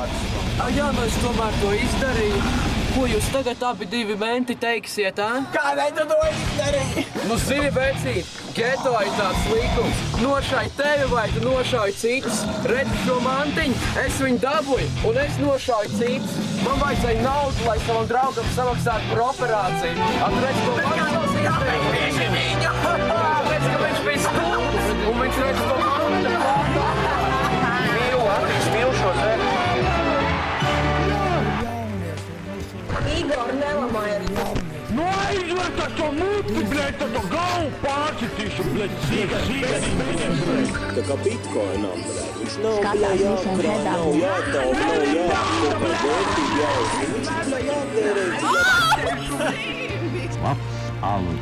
vārdus. Jā, es tomēr to izdarīju. Ko jūs tagad abi divi menti teiksiet, Kādēļ tu to izdarīji? Nu, zini, vecīt, geto ir tāds līkums. Nošauj tevi vai tu nošauj citus. Redzi šo mantiņu, es viņu dabūju un es nošauju citus. Man vajadzēja naudu, lai savam draugam samaksātu par operāciju. Redz, ko man izdarīja. Redz, ka viņš bija stulbs un viņš redz, ko man mīl šo zemi. Igor, nelamāj arī mums. Nu aizver to muti, bļēt, to galvu pārcitīšu, bļēt, sīk. Tā kā bitcoinam, bļēt, viņš nav, bļēt, jākrā, nav jātaup, nav jākopā, vērtība jāuzsver, viņš jātērēt.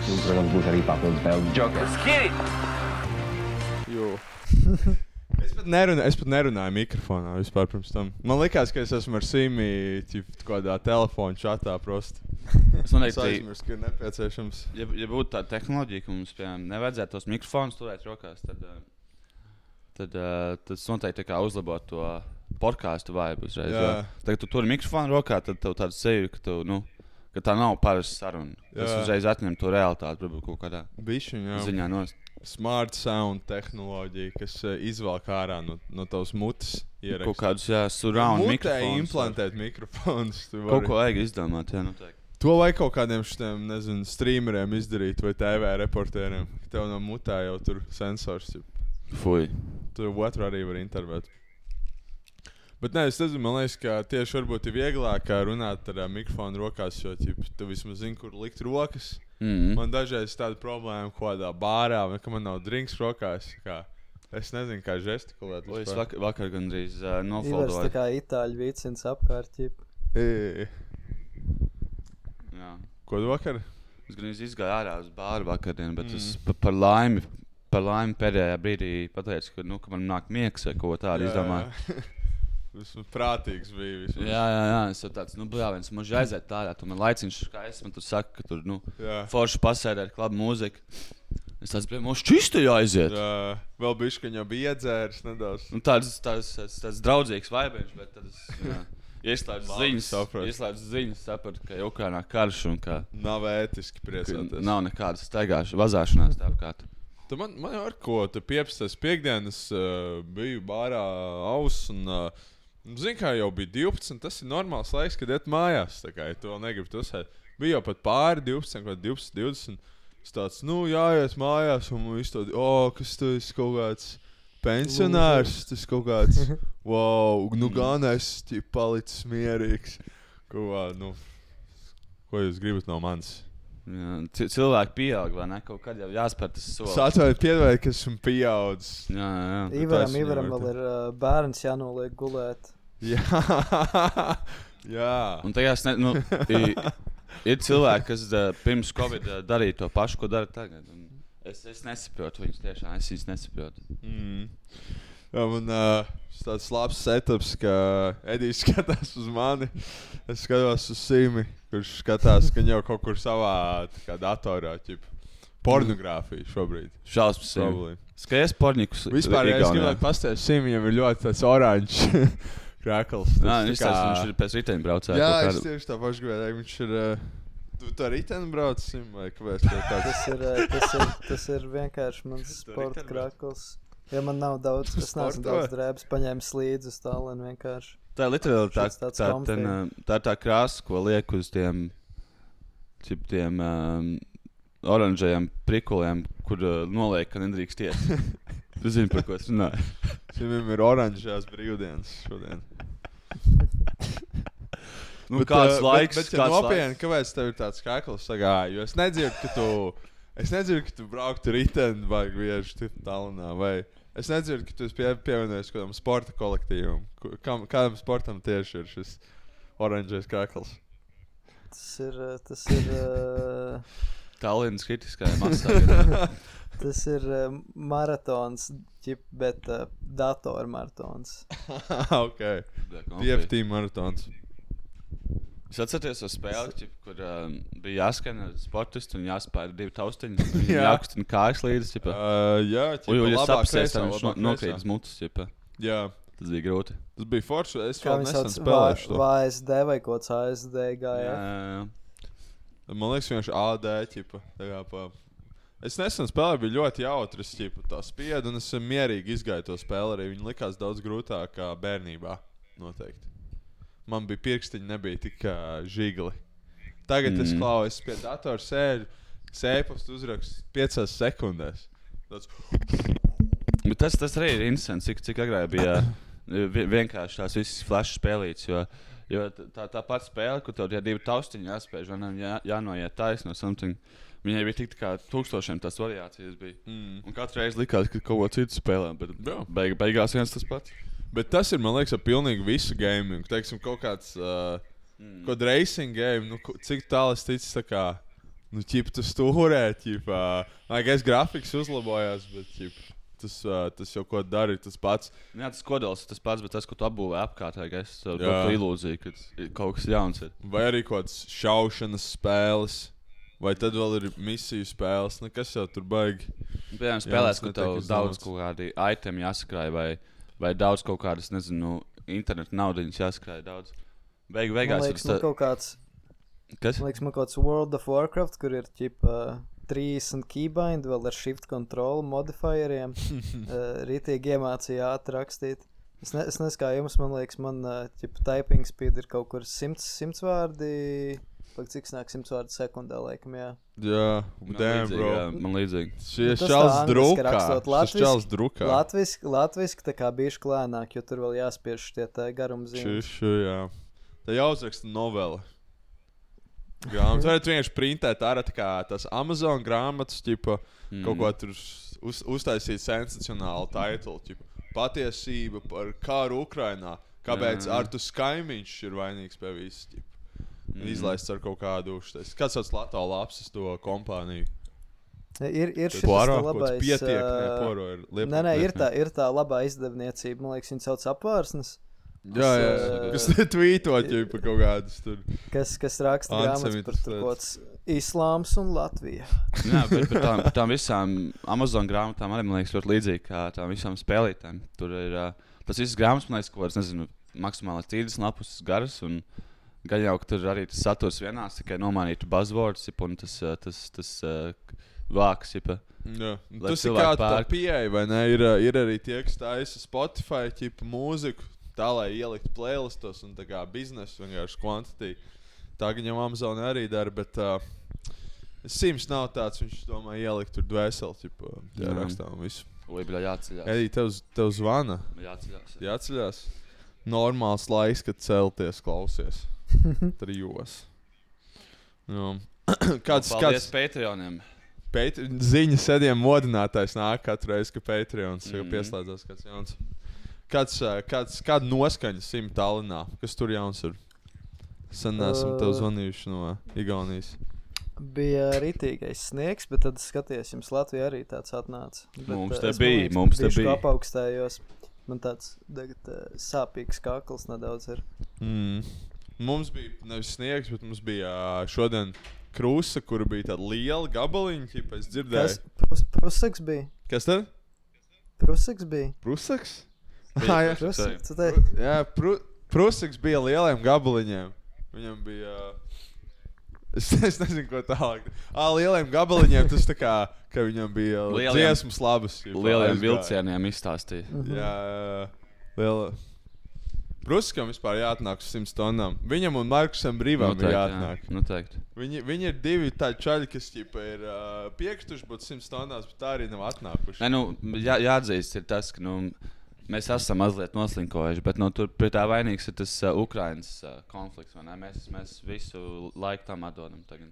Jums, protams, būs arī papildus spēles Jokers. Jo. Es pat nerunāju mikrofonā vispār pirms tam. Man likās, ka es esmu ar Simi kādā telefonu čatā prosti. Es aizmirstu, ka ir nepieciešams. Ja būtu tāda tehnoloģija, ka mums, piemēram, nevajadzētu tos mikrofonus turēt rokās, tad tas noteikti tā kā uzlabot to podcastu vibe uzreiz. Tagad tu turi mikrofonu rokā, tad tev tāda seju, ka tā nav parasta saruna. Tas uzreiz atņem to realitāti, varbūt kaut kādā ziņā nost. Smart sound tehnoloģija, kas izvelk ārā no tavas mutes ierakstu. Kaut kādus, surround mikrofonus. Mutē implantēt mikrofonus. Kaut ko vajag izdomāt, noteikti. To vajag kaut kādiem šitiem, nezinu, streameriem izdarīt vai TV reportēriem. Tev no mutē jau tur sensors. Fuj. Tur otru arī var intervēt. Bet nē, es nezinu, man liekas, ka tieši varbūt ir vieglāk runāt ar mikrofonu rokās, jo tu vismaz zini, kur likt rokas. Man dažreiz ir tāda problēma kādā bārā, vai ka man nav drinks rokās. Es nezinu, kā žestikulēt. Es vakar gandrīz nofoldoju. Ivars tā kā itāļu vicins apkārt. Jā. Ko tu vakar? Es gandrīz izgāju ārā uz bāru vakardienu, bet es par laimi pēdējā brīdī pateicu, ka man nāk miegs vai ko tādu izdomāju. Vismaz prātīgs bija vismaz. Jā, es jau tāds, bļāviens, maži aiziet tādā, tu man laiciņš skaists, man tur saka, ka tur, forši pasēdē ar klabu mūziku. Es tāds, mums čisti jāaiziet. Jā, vēl bišķiņ jau bija iedzēris nedaudz. Tāds draudzīgs vaibiņš, bet tad es ieslēdzu ziņas, sapratu, ka Ukrainā karš un ka nav ētiski priecāties. Nav nekādas vazāšanās tāpkārt. Man jau ar ko, tu 15. piekdienas biju bārā aus un zini, kā jau bija 12, tas ir normāls laiks, kad iet mājās, tā kā, ja tu vēl negribi tusēt. Bija jau pat pāri 12, vai 12, es tāds, jāiet mājās, un viss tādi, kas tu esi kaut kāds pensionārs, tas kaut kāds, wow, gan es palicis mierīgs. Ko jūs gribat no manis? Jā, cilvēki pieaug, vai ne? Kaut kad jau jāspēr tas solis. Es atvēju piedvēju, ka esmu pieaudzis. Jā. Ivaram vēl ir bērns jānoliek gulēt. Jā. Un tajās, ir cilvēki, kas pirms Covid darīja to pašu, ko dara tagad. Es nesaprotu viņus tiešām, es viņus nesaprotu. Jā, man tāds labs setups, ka Edijs skatās uz mani, es skatos uz Simi, kurš skatās, ka jau kaut kur savā datorā, pornogrāfiju šobrīd. Šausmas Simi. Skaties pornikus. Vispār, ja es gribētu pastāstīt, Simi jau ir ļoti tāds oranžs krākls. Viņš ir pēc riteņu braucēja. Jā, es tieši tā pašu gribēju, viņš ir... Tu tā riteņu brauc, Simi, vai kāpēc tāds? Tas ir vienkārši mans sporta krākls. Ja man nav daudz, es neesmu daudz drēbes paņēmis līdzi uz tālien vienkārši. Tā ir literāli tā tā krāsa, ko liek uz tiem oranžajiem prikuliem, kur noliek, ka nedrīkst iet. Tu zini, par ko es runāju. Simim ir oranžajās brīvdienas šodien. Kāds laiks. Bet nopietni, kāpēc tev ir tāds kakls sagāja? Jo es nedzirdu, ka tu brauktu riteni vai bieži tālinā, vai es nedzirdu, ka tu esi pievienojies kādam sporta kolektīvam. Kādam sportam tieši ir šis oranžais kakls? Tas ir Tallinas kritiskajā masā. Tas ir maratons, bet datormaratons. Ok. TFT maratons. Es atceros uz spēli, kur bija jāskan sportisti un jāspēr 2 taustiņi. Jākustina kājas līdzi. Jā, ja sapsies, tad viņš nokrīt uz mutes. Jā. Tas bija grūti. Tas bija forši, es Kā vēl viņi nesen sauc, spēlēšu to. VSD vai kaut kāds ASD gāja. Jā. Man liekas, vienkārši AD, ķipa. Es nesen spēlēju, bija ļoti jautrs, ķipa, tā spieda, un es mierīgi izgāju to spēli arī. Viņi likās daudz grūtāk kā bērnībā, noteikti. Man bija pirkstiņi, nebija tik žigli. Tagad es klausos pie datora sēžu, sēpastu uzrakstu 5 sekundēs. Tāds... Bet tas arī ir interesants, cik agrāk bija vienkārši tās visas flash spēlītes, jo tā pati spēle, kur tev tie 2 taustiņi jāspēj, jānoiet taisno something, viņai bija tik kā 1000 tās variācijas bija. Un katru reizi likās, ka kaut ko citu spēlē, bet beigās viens tas pats. Bet tas ir, man liekas, pilnīgi visu gaming. Teiksim, kaut kāds kaut racing game, nu, cik tālu es ticu, tā kā, nu, ķip, tu stūrē, ķip, es grafiks uzlabojās, bet, ķip, tas jau ko dari, tas pats. Jā, tas kodols ir tas pats, bet tas, ko tu apbūvē apkārtē, es tu ilūziju, ka kaut kas jauns ir. Vai arī kaut kāds šaušanas spēles, vai tad vēl ir misiju spēles, kas jau tur baigi. Piemēram, spēlēs, ka tev daudz kaut kādi itemi jāsakrāj, vai daudz kaut kādas, nezinu, internetu naudiņas jāsakrāj daudz. Beigās man liekas, man kaut kāds... Kas? Man liekas, man kaut kāds World of Warcraft, kur ir, ķipa... 30 keybind, vēl ar shift control modifieriem. Rītīgi iemācīja ātri rakstīt. Es nezinu, kā jums, man liekas, typing speed ir kaut kur 100 vārdi. Cik snāk 100 vārdi sekundā, laikam, jā. Jā, damn, bro. Jā, man līdzīgi. Šis čals drukā. Latviski tā kā bijuši klēnāk, jo tur vēl jāspiež tie garumzīmes. Jā. Tā jāuzraksta novela. Grāmatas varētu vienkārši printēt ārā tās Amazon grāmatas, ķipa, kaut ko tur uztaisīt sensacionālu titulu, ķipa, patiesība par kāru Ukrainā, kāpēc Artus Kaimiņš ir vainīgs pie viss, ķipa, izlaists ar kaut kādu uztais. Kāds sauc Latvijas lapsas to kompāniju? Ir šis labais... Poro ir liepā. Nē, ir tā labā izdevniecība, man liekas, viņi sauc Apvārsnes. Jā, kas tvītot jau par kaut kādus tur. Kas raksta grāmatas par tur kods Islāms un Latvija. Jā, bet tām visām Amazon grāmatām arī, man liekas, ļoti līdzīgi kā tām visām spēlītēm. Tur ir, tas visas grāmatas, man liekas, ko vairs, nezinu, maksimāli 30 lapus garas, un gan jau, ka tur arī tas saturs vienās, tikai nomainītu buzzwords, un tas vāks, jipa. Jā, tas ir kā tā pieeja, vai ne? Ir arī tie, kas taisa Spotify, ķipa, mūziku, tā, lai ielikt playlistos un tā kā biznesu vienkārši kvantitī. Tā viņam Amazon arī dara, bet Sims nav tāds, viņš domā ielikt tur dvēseli, ķipa, tajā rakstā un visu. Bļā, jāceļās. Edī, tev zvana? Jāceļās. Normāls laiks, kad celties, klausies. 3. Paldies Patreoniem. Ziņas ediem modinātājs nāk katru reizi, ka Patreons pieslēdzās kāds jauns. Kāda noskaņa Sim Tallinā? Kas tur jauns ir? Sen esam tev zvanījuši no Igaunijas. Bija ritīgais sniegs, bet tad skaties, jums Latvijā arī tāds atnāca. Mums te bija. Bišķi apaugstējos. Man tāds sāpīgs kakls nedaudz ir. Mums bija nevis sniegs, bet mums bija šodien krūsa, kura bija tāda liela gabaliņa, ķipa, es dzirdēju. Prusaks bija? Kas tad? Prusaks bija. Prusaks? Jā, Prusaks bija lieliem gabaliņiem. Viņam bija... Es nezinu, ko tālāk. Lieliem gabaliņiem tas tā kā, ka viņam bija dziesmas labas. Lieliem vilcieniem izstāstīja. Jā, liela... Pruskam vispār jāatnāk uz 100 tonnām. Viņam un Markusam Brīvam ir jāatnāk. Noteikti. Viņi ir 2 tādi čaļi, kas ķipa ir piekstuši būt 100 tonnās, bet tā arī nav atnākuši. Nē, jāatzīst ir tas, ka, mēs esam mazliet noslinkojuši, bet tur pie tā vainīgs ir tas Ukrainas konflikts, vai ne? Mēs visu laiku tam atdodam tagad.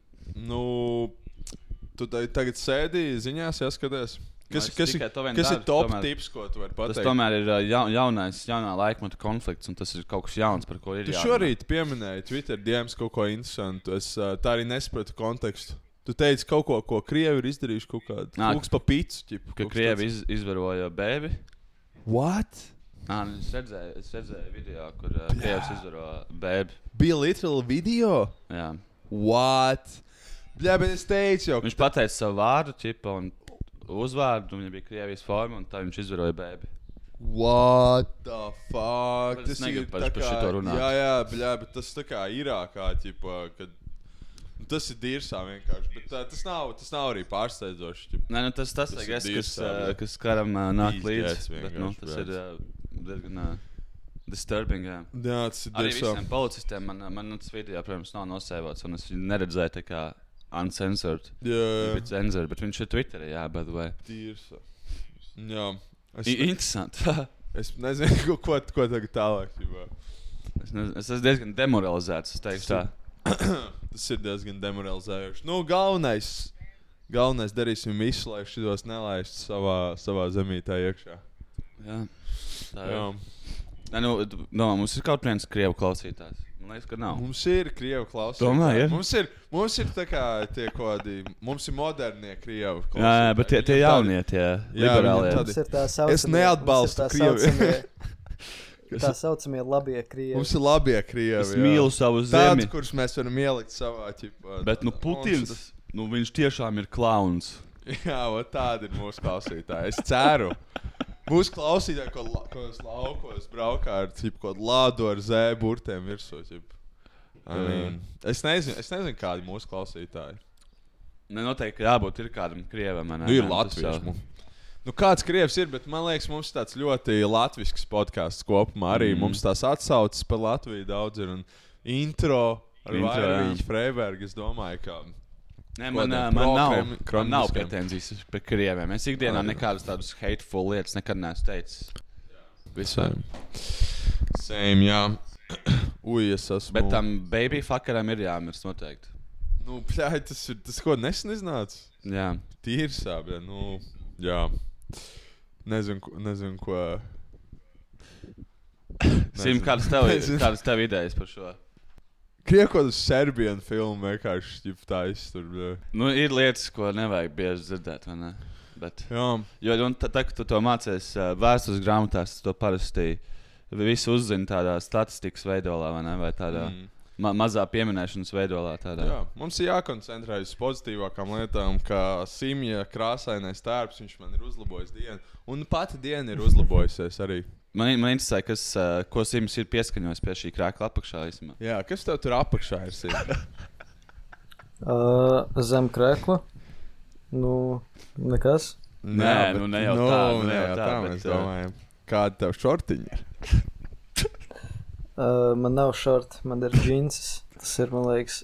Tu tagad sēdi ziņās, jāskaties. Kas ir top tips, ko tu vari pateikt? Tas tomēr ir jaunā laikmeta konflikts, un tas ir kaut kas jauns, par ko ir jārunā. Tu šorīt pieminēji Twitter DMs kaut ko interesantu. Es tā arī nesapratu kontekstu. Tu teici kaut ko Krievi ir izdarījuši kaut kādu kūks pa picu. Ķipu, ka Krievi izvaroja bēbi. What? Es redzēju video, kur Krievs izvaro bēbi. Bija literal video? Jā. What? Bļā, bet es teicu jau. Viņš pateica savu vārdu, ķipa, un uzvārdu, un viņam bija Krievijas forma, un tā viņš izvaroja bēbi. What the fuck? Es negribu par šito runāt. Jā, bļā, bet tas tā kā Irākā, ķipa, kad... Tas ir dirsā vienkārši, bet tas nav arī pārsteidzoši. Nē, nu tas kas karam nāk līdzi, bet tas ir diezgan disturbing, jā. Jā, tas ir dirsā. Arī visiem policistiem man tas video, protams, nav nosēvots, un es viņu neredzēju tā kā uncensored. Jā. Bet viņš ir Twitterī, jā, by the way. Dirsā. Jā. Interesanti. Es nezinu, ko tagad tālāk. Es esmu diezgan demoralizēts, es teikšu tā. Tas ir diezgan demoralizējoši. Nu, galvenais darīsim visu, lai šitos nelaistu savā zemītā iekšā. Jā. Jā. Nē, mums ir kaut viens krievu klausītājs. Man liekas, ka nav. Mums ir krievu klausītāji. Domāju, ja? Mums ir tā kā tie kādi, mums ir modernie krievu klausītāji. Jā, bet tie jaunie, tie liberālie. Es neatbalstu Krievi. Tā saucamie labie krievi. Mums ir labie krievi, Es mīlu savu zemi. Tāds, kurus mēs varam ielikt savā ķipā. Bet, Putins, viņš tiešām ir klauns. Jā, tādi ir mūsu klausītāji. Es ceru. Mūsu klausītāji, kādos laukos braukā ar kaut lādu ar zēburtiem virsū. Es nezinu, kādi mūsu klausītāji. Noteikti jābūt ir kādam krievam. Ir latvieši. Kāds krievs ir, bet man liekas, mums tāds ļoti latvisks podcasts kopumā. Arī mums tās atsauces par Latviju daudz ir. Un intro ar Vairvīģu Freibergu, es domāju, ka... Nē, man nav pretenzijas pret krieviem. Es ikdienā nekādus tādus hateful lietas nekad neesmu teicis. Visiem. Same, jā. Es esmu... Bet tam baby fuckeram ir jāmirst noteikti. Pļāj, tas ko nesen iznāca? Jā. Tīrsā, bet, jā. Nezinu, ko... Sim, kādas tev idejas par šo? Kriekot uz Serbienu filmu vienkārši tā iztur. Ir lietas, ko nevajag bieži dzirdēt, vai ne? Bet, jā. Jo, kad tu to mācies vēstures grāmatās, to parasti visu uzzini tādā statistikas veidolā, vai ne? Vai tādā mazā pieminēšanas veidolā. Tādā. Jā, mums ir jākoncentrējas pozitīvākām lietām, kā Simja krāsainais tērps, viņš man ir uzlabojis dienu. Un pati diena ir uzlabojusies arī. Man interesē, ko Sims ir pieskaņojis pie šī krēkla apakšā. Īsumā. Jā, kas tev tur apakšā ir, Sims? Zem krēkla? Nekas. Nē, ne jau tā, mēs domājam. Kāda tev šortiņa ir? Man nav šorti, man ir džinsis. Tas ir, man liekas,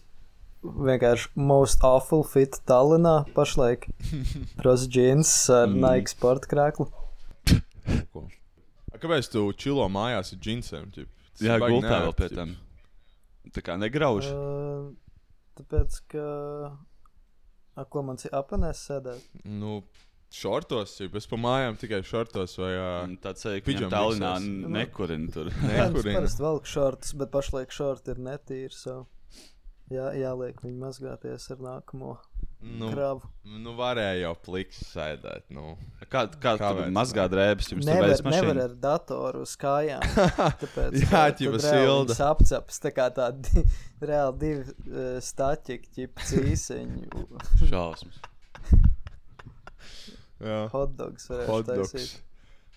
vienkārši most awful fit Tallinā pašlaik. Pros džins ar Nike sporta krēklu. Kāpēc tu čilo mājās ar džinsiem? Jā, gultā vēl pie tam. Tā kā negrauž. Tāpēc, ka... Ko man apanēs sēdēt? Šortos, es pa mājām tikai šortos vai... Tāds ka Tallinā nekurina tur. Es parasti velku šortus, bet pašlaik šorti ir netīri, jāliek viņi mazgāties ar nākamo kravu. Varēja jau pliks sēdēt. Kā tu mazgā drēbes? Nevar ar datoru uz kājām. Tāpēc, jā, ķipa silda. Apcaps, tā kā tādi reāli divi staķiki, ķipa cīseņi. Šausmas. Hotdogs varētu taisīt.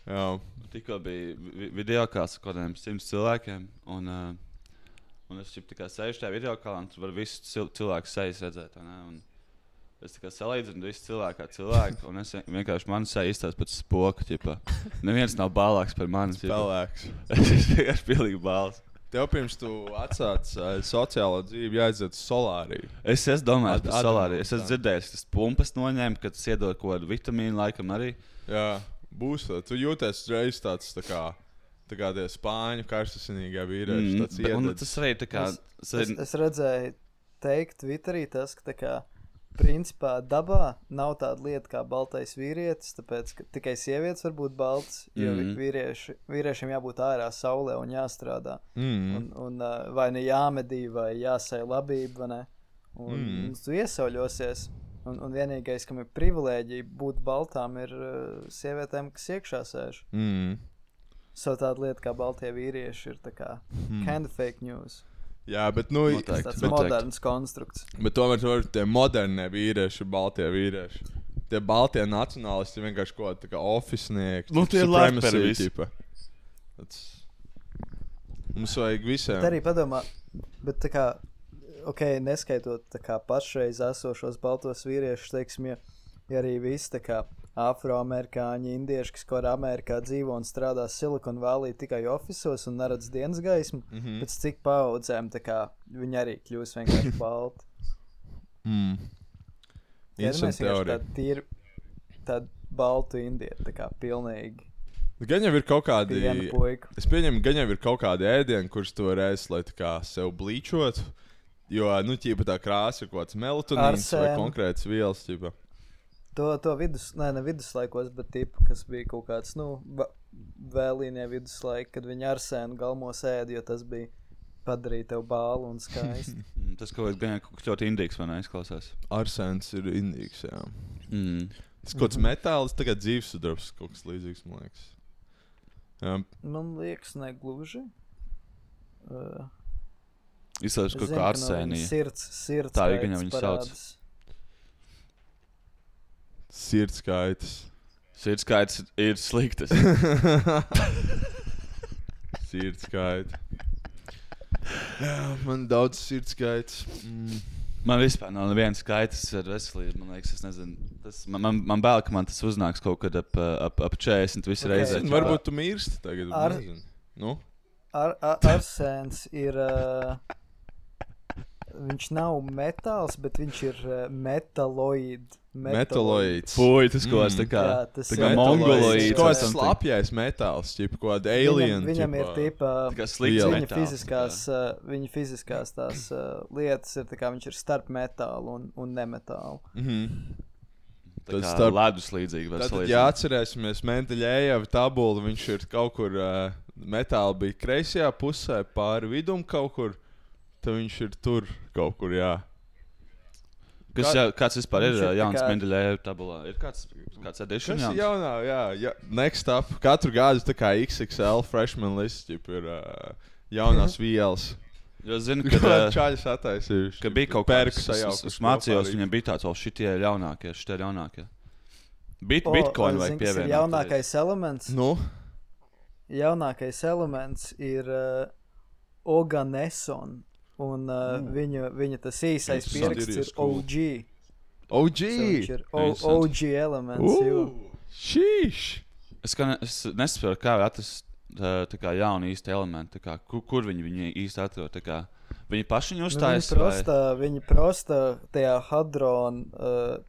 Jā. Tikko bija videokāls ar kādiem 100 cilvēkiem, un es tikai sēžu tajā videokālā, un tur var visu cilvēku sejas redzēt. Un es tikai salīdzinu visu cilvēku kā cilvēku, un es vienkārši mani seja izstāst pēc spoka. Neviens nav bālāks par mani. Spēlēks. Es vienkārši pilnīgi bāls. Tev pirms tu atsāc sociālo dzīvi jāaiziet uz solāriju. Es domāju par solāriju. Es esmu dzirdējis, ka tas pumpas noņēma, ka tas iedod kaut kādu vitamīnu laikam arī. Jā, būs. Tu jūties reiz tāds tā kā tie spāņu karstasinīgā vīrieši. Tas arī tā kā... Es redzēju teikt Twitterī tas, ka tā kā principā dabā nav tāda lieta kā baltais vīrietis, tāpēc, ka tikai sievietes var būt balts, jo vīriešiem jābūt ārā saulē un jāstrādā. Un vai ne jāmedī, vai jāsēj labība, vai ne? Un tu iesauļosies. Un vienīgais, kam ir privilēģija būt baltām, ir sievietēm, kas iekšā sēž. Tāda lieta kā baltie vīrieši ir tā kā kind of fake news. Jā, bet tāds moderns konstrukts. Bet tomēr tie modernie vīrieši, baltie vīrieši. tie baltie nacionālisti vienkārši kaut kā oficinieki. Nu, tie supremacy visi. tipa. Mums vajag visiem. Bet arī padomā, bet tā kā, neskaitot tā kā pašreiz esošos baltos vīriešus, teiksim, ja arī visi tā kā afroamerikāņi, indieši, kas kaut Amerikā dzīvo un strādā Silicon Valley tikai ofisos un neredz dienas gaismu, pēc cik paudzēm tā kā viņi arī kļūs vienkārši balti. Interesanti teorija. Tāda baltu indieti, tā kā pilnīgi. Gan jau ir kaut kādi, Piena puika. es pieņemu, gan jau ir kaut kādi ēdieni, kurus tu vari ēst, lai tā kā sev blīčot, jo, ķipa tā krāsa ir kaut kāds melatonīns vai konkrēts vielas, ķipa. To ne viduslaikos, bet tipu, kas bija kaut kāds, vēlīnie viduslaiki, kad viņi arsēnu galmos ēd, jo tas bija padarīt tev bālu un skaisti. Tas kaut kāds ļoti indīgs, vai neizklausās? Arsēns ir indīgs, jā. Tas kaut kāds metāls, tagad dzīvesudarbs, kaut kas līdzīgs, man liekas. Jā. Man liekas, negluži. Izslēdz kaut kā arsēnija. Sirds tā ir, viņa sauc. Sirdskaitas. Sirdskaitas ir sliktas. Sirdskaita. Jā, man daudz sirdskaitas. Man vispār nav nevienas skaitas ar veselību, man liekas, es nezinu. Man bail, ka man tas uznāks kaut kad ap 40 visu reizē. Varbūt tu mirsti tagad, nezinu. Nu? Arsēns ir... Viņš nav metāls, bet viņš ir metaloīds. Fui, tas kaut kāds tā kā mongoloīds. Kaut kāds slapjais metāls, ķipa, kaut kāda alien. Viņam ir tipa... Viņa fiziskās tās lietas ir tā kā viņš ir starp metālu un nemetālu. Tā kā ledus līdzīgi. Tātad, ja atcerēsimies Mendeļejeva tabulu, viņš ir kaut kur metāla bija kreisajā pusē, pāri vidum kaut kur. Tad viņš ir tur kaut kur, jā. Kāds vispār ir jauns Mendeļejeva tabulā? Ir kāds edition jauns? Kas ir jaunā, jā. Next up. Katru gadu tā kā XXL freshman list, ir jaunās vielas. Jo zinu, ka čaļas attaisījuši. Ka bija kaut kāds, es mācījos, viņam bija tāds, šitie ir jaunākie. Bitcoin vajag pievienot. Jaunākais elements? Nu? Jaunākais elements ir Oganesson. Un viņa tas īsais pieraksts ir OG. OG? Viņš ir OG elements. Šīš! Es nesaprotu, kā atrast tā kā jaunu īstu elementu. Kur viņi īsti atrod? Viņi paši viņu uztājas? Viņi prosta tajā hadron,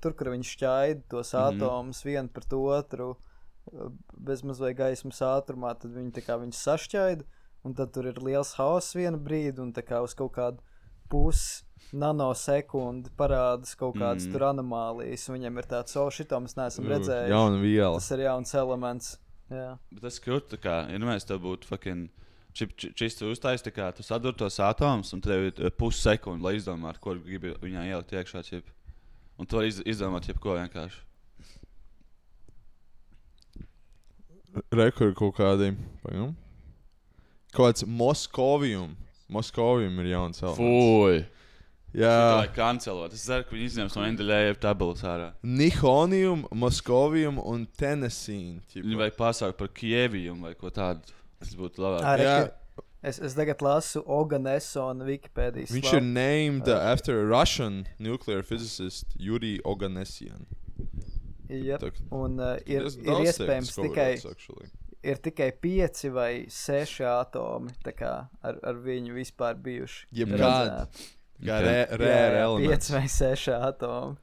tur, kur viņi šķaida tos atomus vienu pret otru, bezmaz vai gaismas ātrumā, tad viņi tā kā viņus sašķaida. Un tad tur ir liels hauss vienu brīdi, un tā kā uz kaut kādu nanosekundi parādas kaut kādas tur anomālijas. Viņam ir tāds, šito mēs neesam redzējuši. Jauna viela. Tas ir jauns elements. Jā. Bet tas krūt, ja mēs tev būtu fucking čisti uztais, tu sadur tos atomus, un tev ir pussekundi, lai izdomātu, ko gribi viņā ielikt iekšā. Un tu vari izdomāt jebko vienkārši. Rekur kaut kādiem. Kaut kāds Moskovium. Moskovium ir jauns elements. Fui! Jā. Šito vajag kancelot. Es ceru, ka viņi izņems no Mendeļejeva tabulas ārā. Nihonium, Moskovium un Tennessee. Viņi vajag pasaukt par Kievium vai ko tādu. Tas būtu labāk. Es tagad lasu Oganesson Wikipēdijas. Viņš ir named after a Russian nuclear physicist Yuri Oganessian. Yep. Un ir iespējams ir tikai 5 vai 6 atomi ar viņu vispār bijuši. Jebkādi. Rare elements. 5 vai 6 atomi.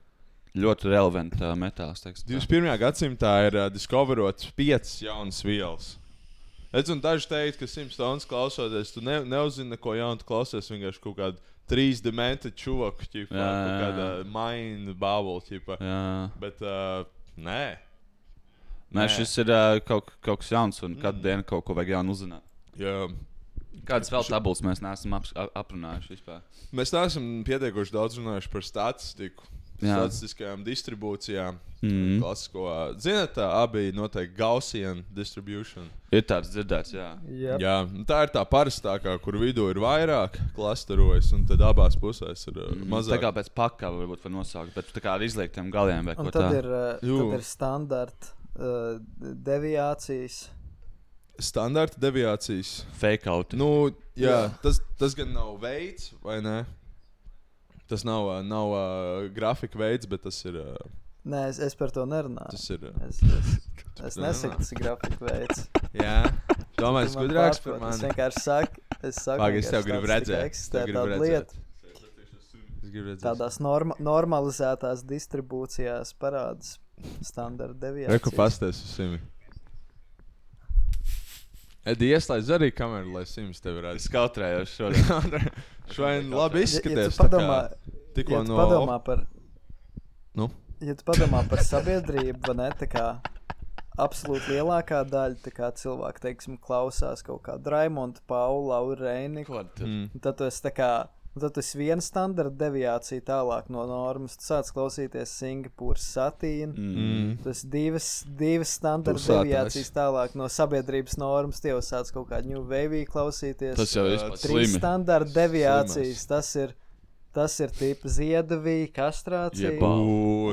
Ļoti relevanta metāls. 21. gadsimtā ir discoverots 5 jaunas vielas. Es un daži teikt, ka 100 stundas klausoties, tu neuzzini neko jaunu, tu klausies vienkārši kaut kādu 3D čuvaku, kaut kāda mind bubble, bet nē. Nē, šis ir kaut kas jauns, un katru dienu kaut ko vajag jaunu uzzināt. Jā. Kādas vēl tabulas mēs neesam aprunājuši vispār? Mēs neesam pietiekoši daudz runājuši par statistiku. statistiskajām distribūcijām. Klasisko. Zināt, abi noteikti Gaussian distribution. Ir tāds dzirdēts, jā. Yep. Jā, tā ir tā parastākā, kur vidū ir vairāk klasterojas, un tad abās pusēs ir mazāk. Tā kā pēc pakā varbūt var nosaukt, bet tā kā ar izliegtiem galiem vai Un ko tad tā. ir standarta deviācijas. Standarta deviācijas. Fake out. Nu, jā. Tas gan nav veids, vai ne? Tas nav grafika veids, bet tas ir... Nē, es par to nerunāju. Tas ir... Es nesaku, tas ir grafika veids. Jā. Domāju, tas gudrāks par mani. Es vienkārši saku, es tev gribu redzēt. Eksistē tāda lieta. Tādās normalizētās distribūcijās parādas standarta deviācijas. Reku pasties uz Simi. Edi, ieslēdz arī kameru, lai Sims tevi redz. Es kautrējos šodien. Šodien labi izskaties. Ja tu padomā par... Nu? Ja tu padomā par sabiedrību, vai ne, tā kā absolūti lielākā daļa tā kā cilvēki, teiksim, klausās kaut kādu Raimondu, Paulu, Lauru Reiniku. Tad tu esi tā kā... Tad tas ir viena standarta deviācija tālāk no normas. Tu sāc klausīties Singapūras satīnu. Tas divas standarta deviācijas tālāk no sabiedrības normas. Tie jau sāc kaut kādu New Wave klausīties. Tas jau ir trīs standarta deviācijas. Tas ir tipa ziedavī, kastrācija.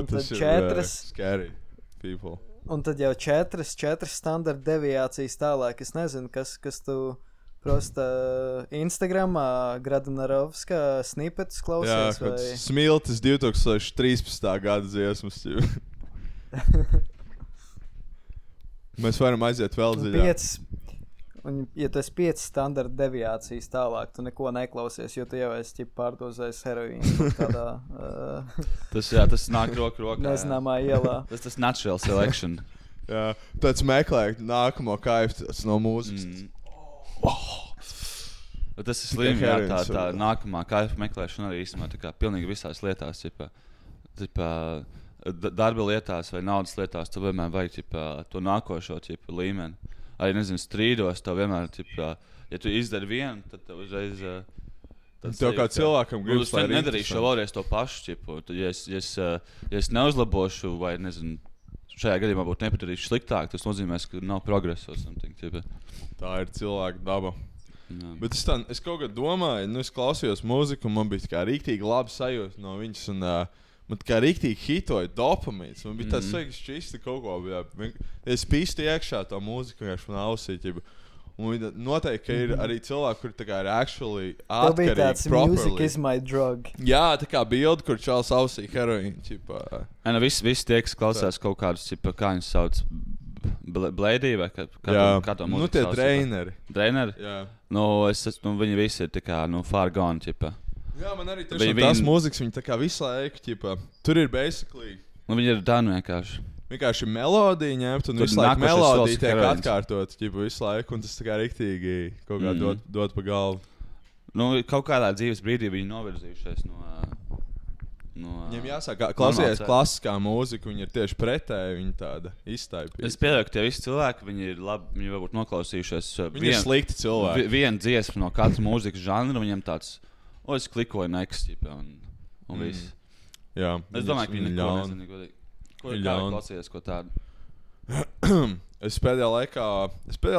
Tas ir scary people. Un tad jau četras standarta deviācijas tālāk. Es nezinu, kas tu... Prosta Instagramā Gradanarovska snipetus klausies. Jā, vai... Smiltis 2013. gada dziesmas. Mēs varam aiziet vēl dziļāk. Un, ja tu esi 5 standarta deviācijas tālāk, tu neko neklausies, jo tu jau esi pārdozējis heroīnu tādā... Tas nāk rokā. Nezināmā ielā. Tas natural selection. Jā, tāds meklē nākamo kaifu no mūzikas. Tas ir slim, jā, tā nākamā kaifa meklēšana arī īstenībā tā kā pilnīgi visās lietās, darba lietās vai naudas lietās, tu vienmēr vajag to nākošo līmeni. Arī, nezinu, strīdos, tev vienmēr, ja tu izdari vienu, tad tev uzreiz... Tev kā cilvēkam gribas, lai nedarīšu vēlreiz to pašu, ja es neuzlabošu vai, nezinu, šajā gadījumā būtu nepadarīšu sliktāk, tas nozīmēs, ka nav progresa or something. Tā ir cilvēka daba. Bet es kaut kā domāju, es klausījos mūziku, un man bija kā rīktīgi labi sajūta no viņas, un man kā rīktīgi hitoja dopamīns. Man bija tāds sveiks šķisti kaut ko, es pīstu iekšā to mūziku, vienkārši man ausī, un noteikti, ka ir arī cilvēki, kuri tā kā ir actually atkarīgi properly. Tev bija tāds music is my drug. Jā, tā kā bildi, kur čāls ausī heroīnu. Visi tie, kas klausās kaut kādus, kā viņus sauc, Blēdī vai kā to mūziku sauc? Nu, tie dreineri. Dreineri? Jā. Viņi visi ir tā kā, far gone, Jā, man arī tās mūzikas, viņi tā kā visu laiku, tur ir basically... Viņi ir danu vienkārši. Vienkārši melodija ņemt, un visu laiku melodija tiek atkārtot visu laiku, un tas tā kā riktīgi kaut kā dot pa galvu. Kaut kādā dzīves brīdī viņi novirzījušies no Viņam jāsāk, klausies klasiskā mūzika, viņi ir tieši pretēji, viņi tāda iztaipīta. Es pieļauju, ka tie visi cilvēki, viņi ir labi, viņi varbūt noklausījušies viņi ir slikti cilvēki. Vienu dziesmu no katras mūzikas žanra, viņam tāds, es klikoju next, un viss. Jā. Es domāju, ka viņi neko nezinu, godīgi. Ko klausījies, ko tādu? Es pēdējā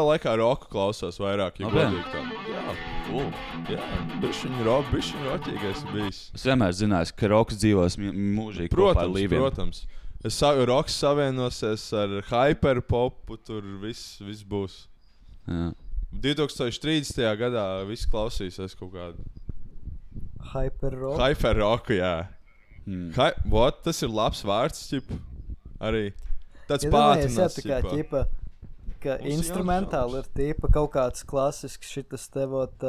laikā roku klausos vairāk, ja godīgi tā. Jā, bišķiņ roķīgais bijis. Es vienmēr zināju, ka roks dzīvos mūžīgi kopā ar līviem. Protams. Roks savienosies ar hyperpopu, tur viss būs. Jā. 2030. gadā viss klausīsies kaut kādu. Hyperroku? Hyperroku, jā. Tas ir labs vārds, arī. Tāds pātrinās, ka instrumentāli ir tīpa kaut kāds klasisks šitas tevot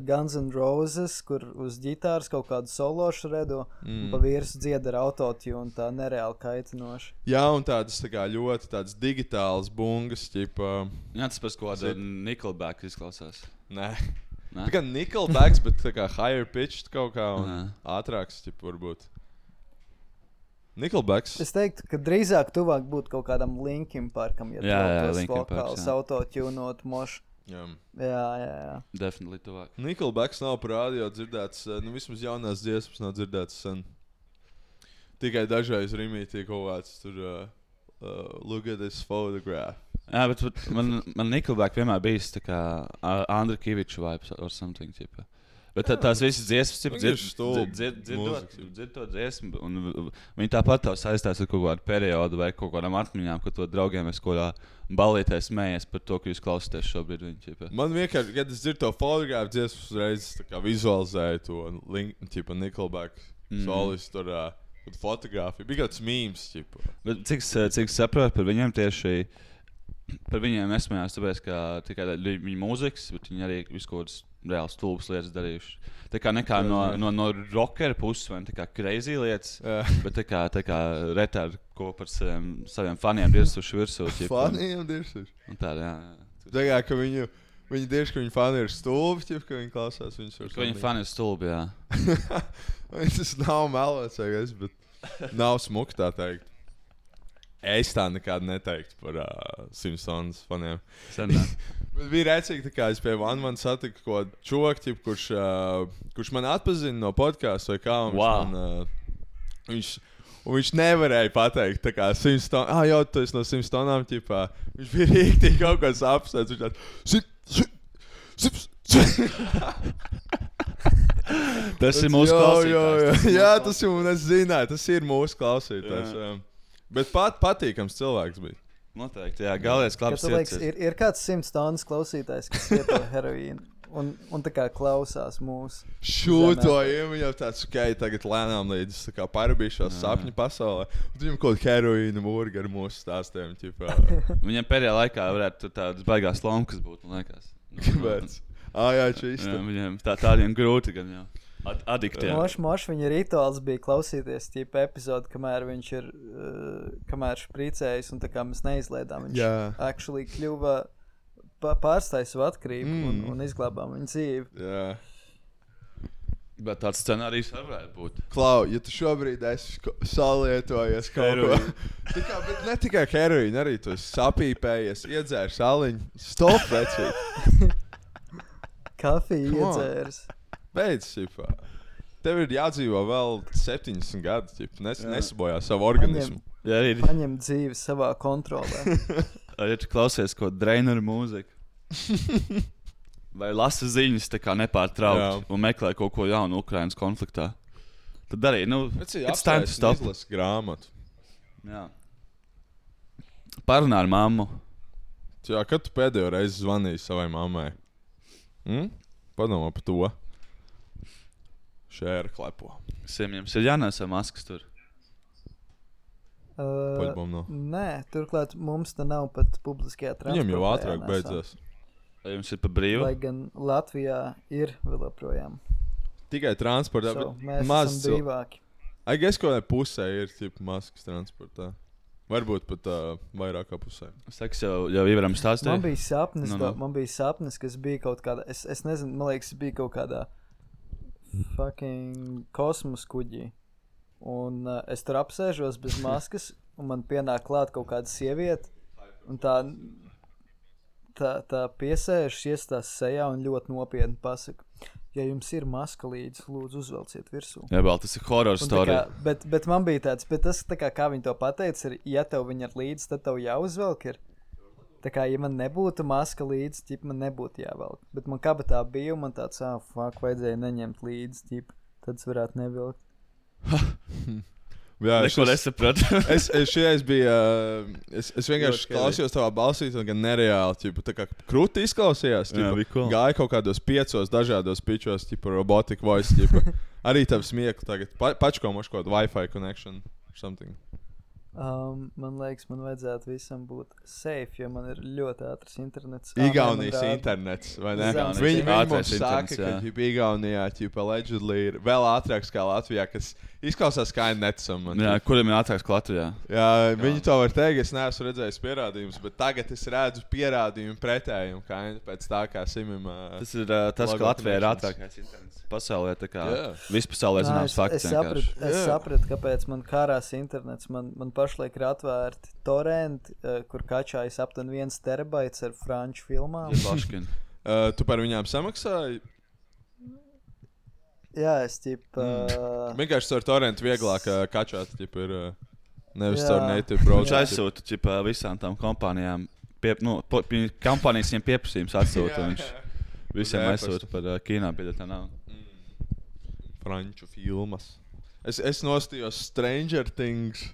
Guns N' Roses, kur uz ģitāras kaut kādu sološu redo, un pa vīrusu dzied ar autotune, tā nereāli kaitinoši. Jā, un tādas tā kā ļoti tādas digitālas bungas, Jā, tas pēc kāda Nickelback izklausās. Nē. Tā kā Nickelbacks, bet tā kā higher pitched kaut kā un ātrāks, varbūt. Nickelbacks. Es teiktu, ka drīzāk tuvāk būtu kaut kādam Linkin Parkam, ja tos vokāls autotunot moši. Jā. Definitely tuvāk. Nickelbacks nav par radio dzirdēts, vismaz jaunās dziesmas nav dzirdēts sen. tikai dažreiz rimītī kaut kāds tur look at this photograph. Jā, bet man Nickelback vienmēr bijis tā kā Andra Kiviča vibes or something, tipa. Bet tās visas dziesmas, dzird to dziesmu, un viņi tāpat tev saistās ar kaut kādu periodu vai kaut kādām atmiņām, ka to draugiem es kaut kādā balītē smējies par to, ka jūs klausāties šobrīd viņi, tipa. Man vienkārši, kad es dzirdu to fotografu dziesmu, uzreiz tā kā vizualizēju to tipa Nickelback solis tur fotografiju. Bija kāds memes, tipa. Bet cik saprotu par viņiem tieši, par viņiem nesmējās, tāpēc, ka tikai viņa mūzikas, bet viņi arī visu kaut kādas reāli stulbas lietas darījuši. Tā kā nekā no rockera puses vai tā kā crazy lietas, bet tā kā retāri, ko par saviem faniem dirsuši virsū. Faniem dirsuši? Un tā, jā. Tā kā, ka viņi dirž, ka viņi fani ir stulbi, ka viņi klausās viņus var ka viņi fani ir stulbi, jā. Tas nav melots, bet nav smuki tā teikt. Es tā nekādu neteiktu par Simpsons faniem. Bet bija rēcīgi, kā es pie One satiku kaut čoku, kurš man atpazina no podcastu vai kā. Viņš nevarēja pateikt, tā kā Simpsons, jau tu esi no Simpsonām, ķipā. Viņš bija rīktīgi kaut kāds apsēc, viņš tāds, Tas ir mūsu klausītājs. Jā, tas ir, es zināju, tas ir mūsu klausītājs. Bet patīkams cilvēks bija. Noteikti, jā, galvenais klabs sirds. Ir kāds 100 tonnas klausītājs, kas lieto heroīnu un tā kā klausās mūsu. Šūtojam, jau tāds, tagad lēnām līdz tā kā parabīšos sapņu pasaulē. Un viņam kaut herojīna mūrga ar mūsu stāstiem. Viņam pēdējā laikā varētu tādas baigās lomkas būt, man liekas. Kāpēc? Jā, čīsti. Viņam tādiem grūti gan jau. Adiktiem. Moš viņa rituāls bija klausīties tīpa epizodu, kamēr viņš ir, kamēr špricējis un tā kā mēs neizlaidām. Viņš actually kļuva pārstāja savu atkarību un izglābām viņa dzīvi. Jā. Bet tāds scenārijs varētu būt. Klau, ja tu šobrīd esi salietojies kaut ko. Bet ne tikai heroīnu, arī tu esi sapīpējies, iedzēri saliņu. Stop, vecīt. Kafiju iedzēris. Beidz, ķipā. Tev ir jādzīvo vēl 70 gadi, nesabojā savu organismu. Paņem dzīvi savā kontrolē. Ja tu klausies kaut draineru mūziku. Vai lasa ziņas tā kā nepārtraukt un meklē kaut ko jaunu Ukrainas konfliktā. Tad arī, it's time to stop. Izlasi grāmatu. Jā. Parunā ar mammu. Jā, kad tu pēdējo reizi zvanīji savai mammai? Padomā par to. Šēra klepo. Jums ir jānesa maskas tur? Nē, turklāt mums te nav pat publiskajā transportā. Viņam jau ātrāk beidzās. Jums ir pa brīvu? Lai gan Latvijā ir vēl joprojām. Tikai transportā. Mēs esam brīvāki. Es kaut kādā pusē ir maskas transportā. Varbūt pat vairāk kā pusē. Saks jau ievaram stāstīja. Man bija sapnis, kas bija kaut kādā, es nezinu, man liekas, bija kaut kādā fucking kosmos kuģī. Un es tur apsēžos bez maskas, un man pienāk klāt kaut kāda sieviete, un tā piesēžas, iestās sejā un ļoti nopietni pasaka, ja jums ir maska līdzi, lūdzu uzvelciet virsū. Jā, vēl tas ir horror story. Bet man bija tāds, bet tas tā kā viņi to pateica, ir, ja tev viņa ir līdzi, tad tev jāuzvelk ir. Tā kā, ja man nebūtu maska līdzi, ķip, man nebūtu jāvelk. Bet man kabatā bija, un man tāds, vajadzēja neņemt līdzi, ķip, tad es varētu nevilkt. Jā, neko nesapratu. Es vienkārši klausījos tavā balsī, gan nereāli, ķipa, tā kā krūti izklausījās, ķipa, cool. Gāja kaut kādos 5 dažādos pičos, ķipa, robotic voice, ķipa. Arī tavu smieklu tagad, pačko mošu kaut Wi-Fi connection or something. Man liekas, man vajadzētu visam būt safe, jo man ir ļoti ātrs internets. Igaunijas internets, vai ne? Viņi mums saka, ka Igaunijā allegedly ir vēl ātrāks kā Latvijā, kas izklausās kā netsam. Jā, kuriem ir ātrāks kā Latvijā? Jā, viņi to var teikt, es neesmu redzējis pierādījumus, bet tagad es redzu pierādījumu pretējumu, kā pēc tā kā Simim. Tas ir tas, ka Latvijā ir ātrākais internets. Pasaulē tā kā vispasaulē zināms fakts. Es sapratu, kāpēc man karās internets. Man pašlaik ir atvērti torrenti, kur kačājas aptuveni 1 terabaits ar franču filmām. Tu par viņām samaksāji? Jā, es ķipa... Vienkārši caur torrentu vieglāk kačāt, ķipa ir nevis caur native browser. Viņš aizsūta ķipa visām tām kompānijām, kompānijas viņiem pieprasījums atsūta, viņš visiem aizsūta par kino biļetēm nav. Franču filmas. Es nostījos Stranger Things.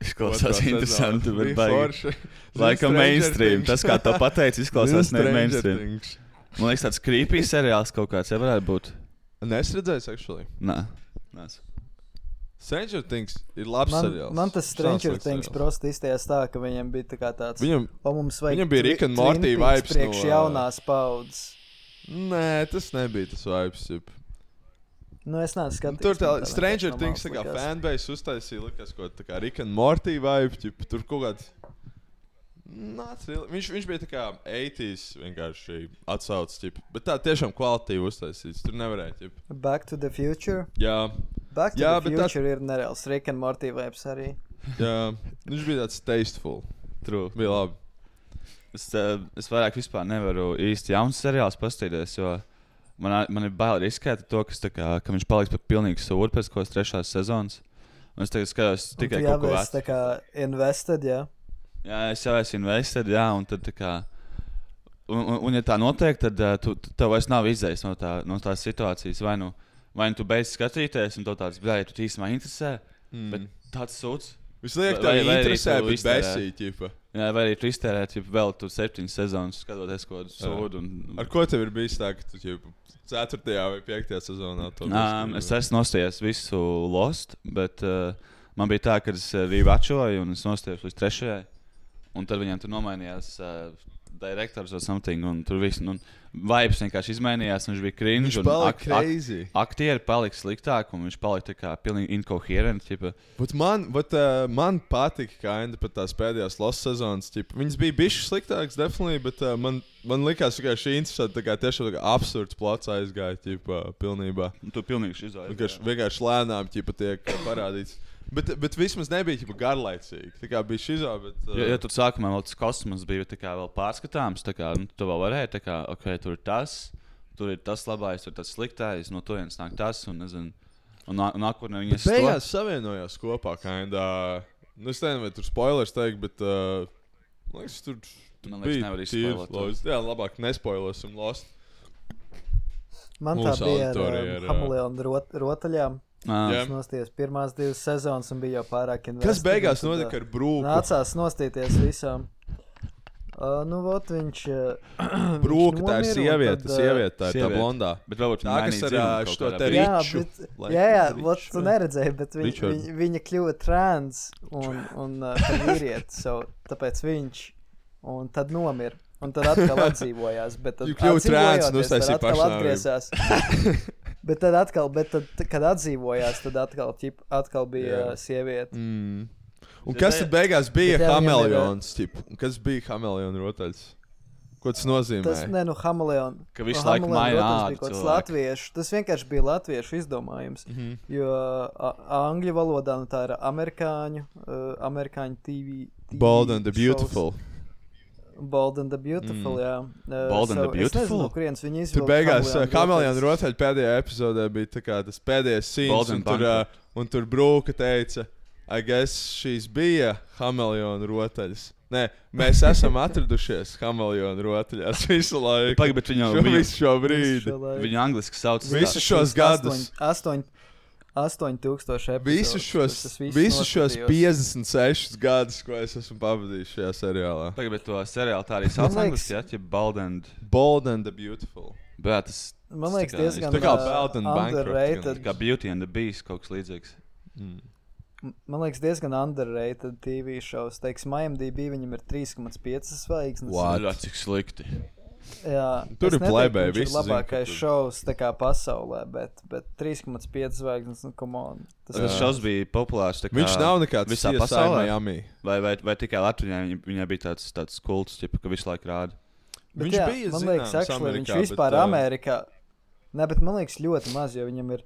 Izklausās interesanti, bet baigi. Laikam mainstream. Tas, kā to pateici, izklausās ne mainstream. Man liekas, tāds creepy seriāls kaut kāds, ja varētu būt. Nesredzējis, actually? Nē. Stranger Things ir labs seriāls. Man tas Stranger Things prosti izties tā, ka viņam bija tā kā tāds... Viņam bija Rick and Morty vibes priekš jaunās paudzes. Nē, tas nebija tas vibes, Nu, es neesmu skatījies. Tur tā Stranger Things tā kā fanbase uztaisīja, likas kaut tā kā Rick and Morty vibe, tur kaut kāds... Viņš bija tā kā 80s vienkārši atsaucis, bet tā tiešām kvalitīvi uztaisīts, tur nevarēja, Back to the Future? Jā. Back to the Future ir nereāls Rick and Morty vibes arī. Jā, viņš bija tāds tasteful. True. Bija labi. Es vairāk vispār nevaru īsti jauns seriāls pastīties, jo man ir bail riskēt to, ka viņš paliks par pilnīgu sūru pēc kaut kādas 3. sezonas. Un es tagad skatos tikai kaut ko vecu. Un tu jau esi tā kā invested, jā? Jā, es jau esmu invested, jā, un tad tā kā... Un ja tā notiek, tad tev vairs nav izējis no tās situācijas. Vai nu tu beidz skatīties, un tev tāds, bļāj, tu īstumā interesē, bet tāds sūds. Visliek tev interesē, bet besī, ķipa. Jā, vai arī tu iztērēt, vēl tu 7 sezonas skatoties kaut kādu sūdu. Ar ko tev ir bijis tā, ka tu, ķipa, 4. vai 5. sezonā? Es esmu nostājies visu Lost, bet man bija tā, ka es rīvačoju, un es nostājos līdz 3. Un tad viņam tur nomainījās direktors vai something, un tur viss, un vibes vienkārši izmainījās, un viņš bija cringe, viņš palika crazy. Aktieri palika sliktāk, un viņš palika tā kā pilnīgi incoherent, ķipa. Man patika kinda pat tās pēdējās Lost sezonas, ķipa. Viņas bija bišķi sliktāks, definitely, bet man likās vienkārši interesanti, tā kā tiešām tā kā absurds plots aizgāja, ķipa, pilnībā. Un tu pilnīgi izaiz. Vienkārši lēnām, ķipa, tiek parādīts. Bet vismaz nebija ķipa garlaicīgi. Tā kā bija šizā, bet... Ja tur sākumā vēl tas kosmos bija tā kā vēl pārskatāms, tā kā, tu vēl varēji, tā kā, ok, tur ir tas labais, tur tas sliktais, no turienes nāk tas, un nezinu, un nākotnē viņas... Bet beigās savienojās kopā, kinda... Es nezinu, vai tur spoilers teikt, bet... Man liekas, tur bija tīvs. Jā, labāk nespoilosim Lost. Man tā bija ar Hameleona rotaļām. Es nostījos pirmās 2 sezonas un bija jau pārāk investīvi. Kas beigās notika ar Brūku? Nācās nostīties visām. Viņš... Brūka, tā ir sieviete, tā blondā. Bet varbūt tā, kas ar šo te riču. Jā, tu neredzēji, bet viņa kļuva trans un vīrieti, tāpēc viņš, un tad nomira. Un tad atkal atdzīvojās, bet tad atdzīvojoties, tad atkal atgriezās. Bet tad, kad atdzīvojās, tad atkal bija sieviete. Un kas tad beigās bija Hameleons? Kas bija Hameleona rotaļs? Ko tas nozīmē? Tas Hameleona. Ka visu laiku maina ādu. Tas vienkārši bija latviešu izdomājums. Jo angļu valodā tā ir amerikāņu TV Bold and the Beautiful. Bold and the Beautiful, jā. Bold and the Beautiful? Es nezinu, kurienes viņi izvilka. Tur beigās Hameleona rotaļa pēdējā epizodē bija tā kā tas pēdējais scenes, un tur Brūka teica, I guess šīs bija Hameleona rotaļas. Nē, mēs esam atradušies Hameleona rotaļās visu laiku. Pagaid, bet visu šo brīdi. Viņu angliski sauc. Visus šos gadus. 8000 epizodes. Visus šos 56 gadus, ko es esmu pavadījis šajā seriālā. Tagad, bet to seriālu tā arī sauc angliski, ja? Bold and the Beautiful. Bet tas... Man liekas diezgan underrated. Kā Beauty and the Beast, kaut kas līdzīgs. Man liekas diezgan underrated TV shows. Teiksim, IMDb viņam ir 3,5 zvaigznes. What? Cik slikti. Jā, tur ir plēbēji, visi labākais šovs tā kā pasaulē, bet 3,5 zvaigznes, come on. Tas šovs bija populārs tā kā viņš nav nekāds visā pasaulē. Miami. Vai tikai Latvijā viņai bija tāds kults, ka visu laiku rāda. Bet jā, man liekas, actually, viņš vispār Amerikā. Ne, bet man liekas ļoti maz, jo viņam ir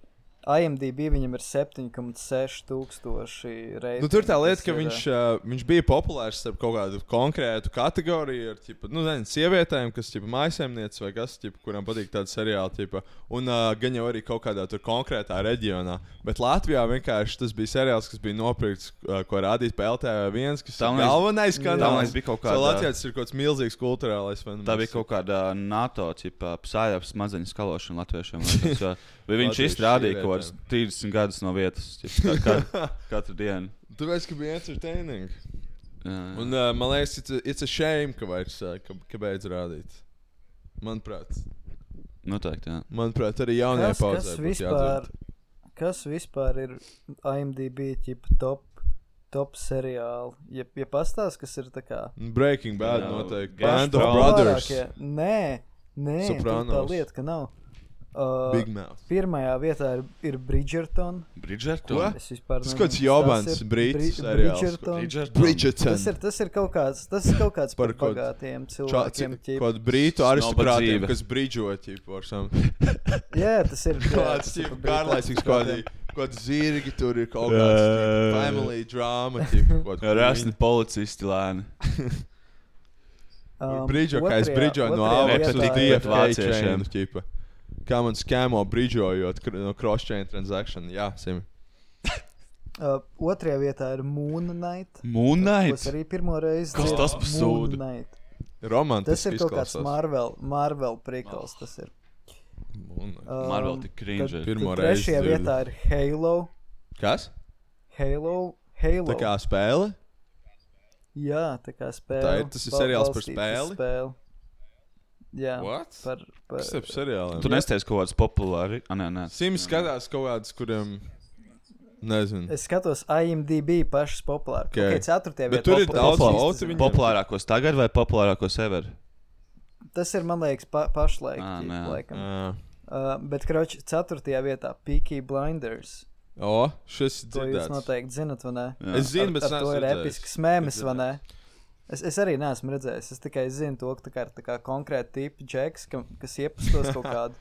IMDb viņam ir 7,6 tūkstoši reitingu. Nu, tur tā lieta, ka viņš bija populārs starp kaut kādu konkrētu kategoriju ar, ķipa, sievietēm, kas, mājasēmnieces vai kas, kurām patīk tāda seriāla, ķipa, un gan jau arī kaut kādā tur konkrētā reģionā. Bet Latvijā vienkārši tas bija seriāls, kas bija nopirkts, ko rādīt pa LTV1, kas ir galvenais kanāls. Latvijas ir kaut kāds milzīgs kulturālais fenomens. Tā bija kaut kāda NATO, psājāps mazaņu skalošana latviešiem. Vai viņš izstrādīja kaut kāds 30 gadus no vietas, katru dienu. Tāpēc, ka bija entertaining. Un man liekas, it's a shame, ka beidz rādīt. Manuprāt. Noteikti, jā. Manuprāt, arī jaunajā pauzē būs jādzird. Kas vispār ir IMDb top seriāli? Ja pastāst, kas ir tā kā... Breaking Bad noteikti. Band of Brothers. Nē, Sopranos. tā lieta, ka nav. Big Mouth. Pirmajā vietā ir Bridgerton. Ko? Es vispār tas kāds jobans, brītis seriāls. Bridgerton. Tas ir kaut kāds par bagātiem cilvēkiem. Kaut brītu aristokrātiem, kas bridžo, Jā, tas ir garlaicīgs kaut zirgi, tur ir kaut kāds family drama. Rasni policisti lēni. Bridžo, kā es bridžoju no Alex uz DFK chainu. Kā man skēmo bridžojot no cross-chain transaction. Jā, Simi. Otrajā vietā ir Moon Knight. Moon Knight? Kas arī pirmo reizi kas tas par sūdu? Romantiski izklausās. Tas ir kaut kāds Marvel prikals, tas ir. Marvel tik cringe. Trešajā vietā ir Halo. Kas? Halo. Tā kā spēle? Jā, tā kā spēle. Tas ir seriāls par spēli? Jā. What? Kas ir par seriāliem? Tu nesties kaut kāds populāri? Nē. Sims skatās kaut kādus, kuriem... Nezinu. Es skatos IMDb pašas populāri. Okay, 4. vietā. Bet tur ir daudz populārākos tagad vai populārākos ever? Tas ir, man liekas, pašlaik. Bet, kroči, 4. vietā Peaky Blinders. Šis dzirdēts. To jūs noteikti zinat, vai ne? Es zinu, bet es neesmu redzējis. To ir episks mēmis, vai ne? Es arī neesmu redzējis. Es tikai zinu to, ka tā kā konkrēti tipi džeks, kas iepastos kaut kādu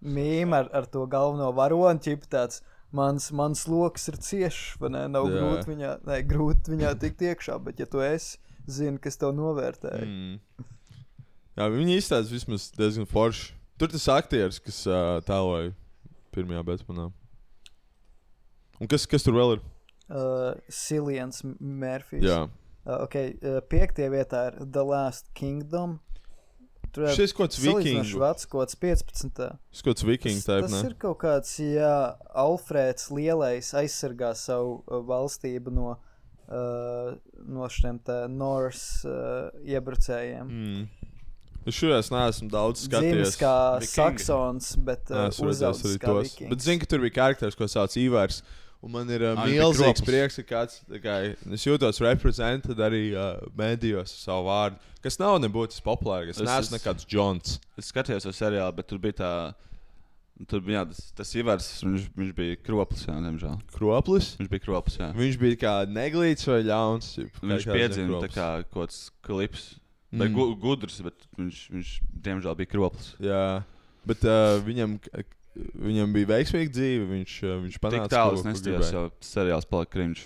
mīmu ar to galveno varoni, ķipa tāds, mans loks ir ciešs, vai ne? Nav grūti viņā tikt iekšā, bet ja tu zini, kas tev novērtēja. Jā, viņi izstāsta vismaz diezgan forši. Tur tas aktieris, kas tēloja pirmajā Batmanā. Un kas tur vēl ir? Cillians Murphys. Jā. 5. vietā ir The Last Kingdom. Šis kods vikingu. Švats kods 15. Šis kods vikingu taip, ne? Tas ir kaut kāds, Alfrēds Lielais aizsargā savu valstību no šiem Norse iebrucējiem. Es šurēs neesmu daudz skatījies. Dzīves kā Saksons, bet uzaudzis kā vikings. Bet zinu, ka tur bija karakteris, ko sauc Ivars. Un man ir milzīgs prieks, ka kāds, es jūtos reprezentēt arī medijos savu vārdu, kas nav nebūtis populāri, es neesmu nekāds Džons. Es skatījos uz seriālu, bet tur bija tas Ivars, viņš bija kroplis, jā, diemžēl. Kroplis? Viņš bija kroplis, jā. Viņš bija kā neglīts vai ļauns? Viņš piedzina tā kā kaut klips, vai gudrs, bet viņš diemžēl bija kroplis. Jā, bet Viņam bija veiksmīga dzīve, viņš panāca, tik tālu es nestījos, jo seriāls palika cringe.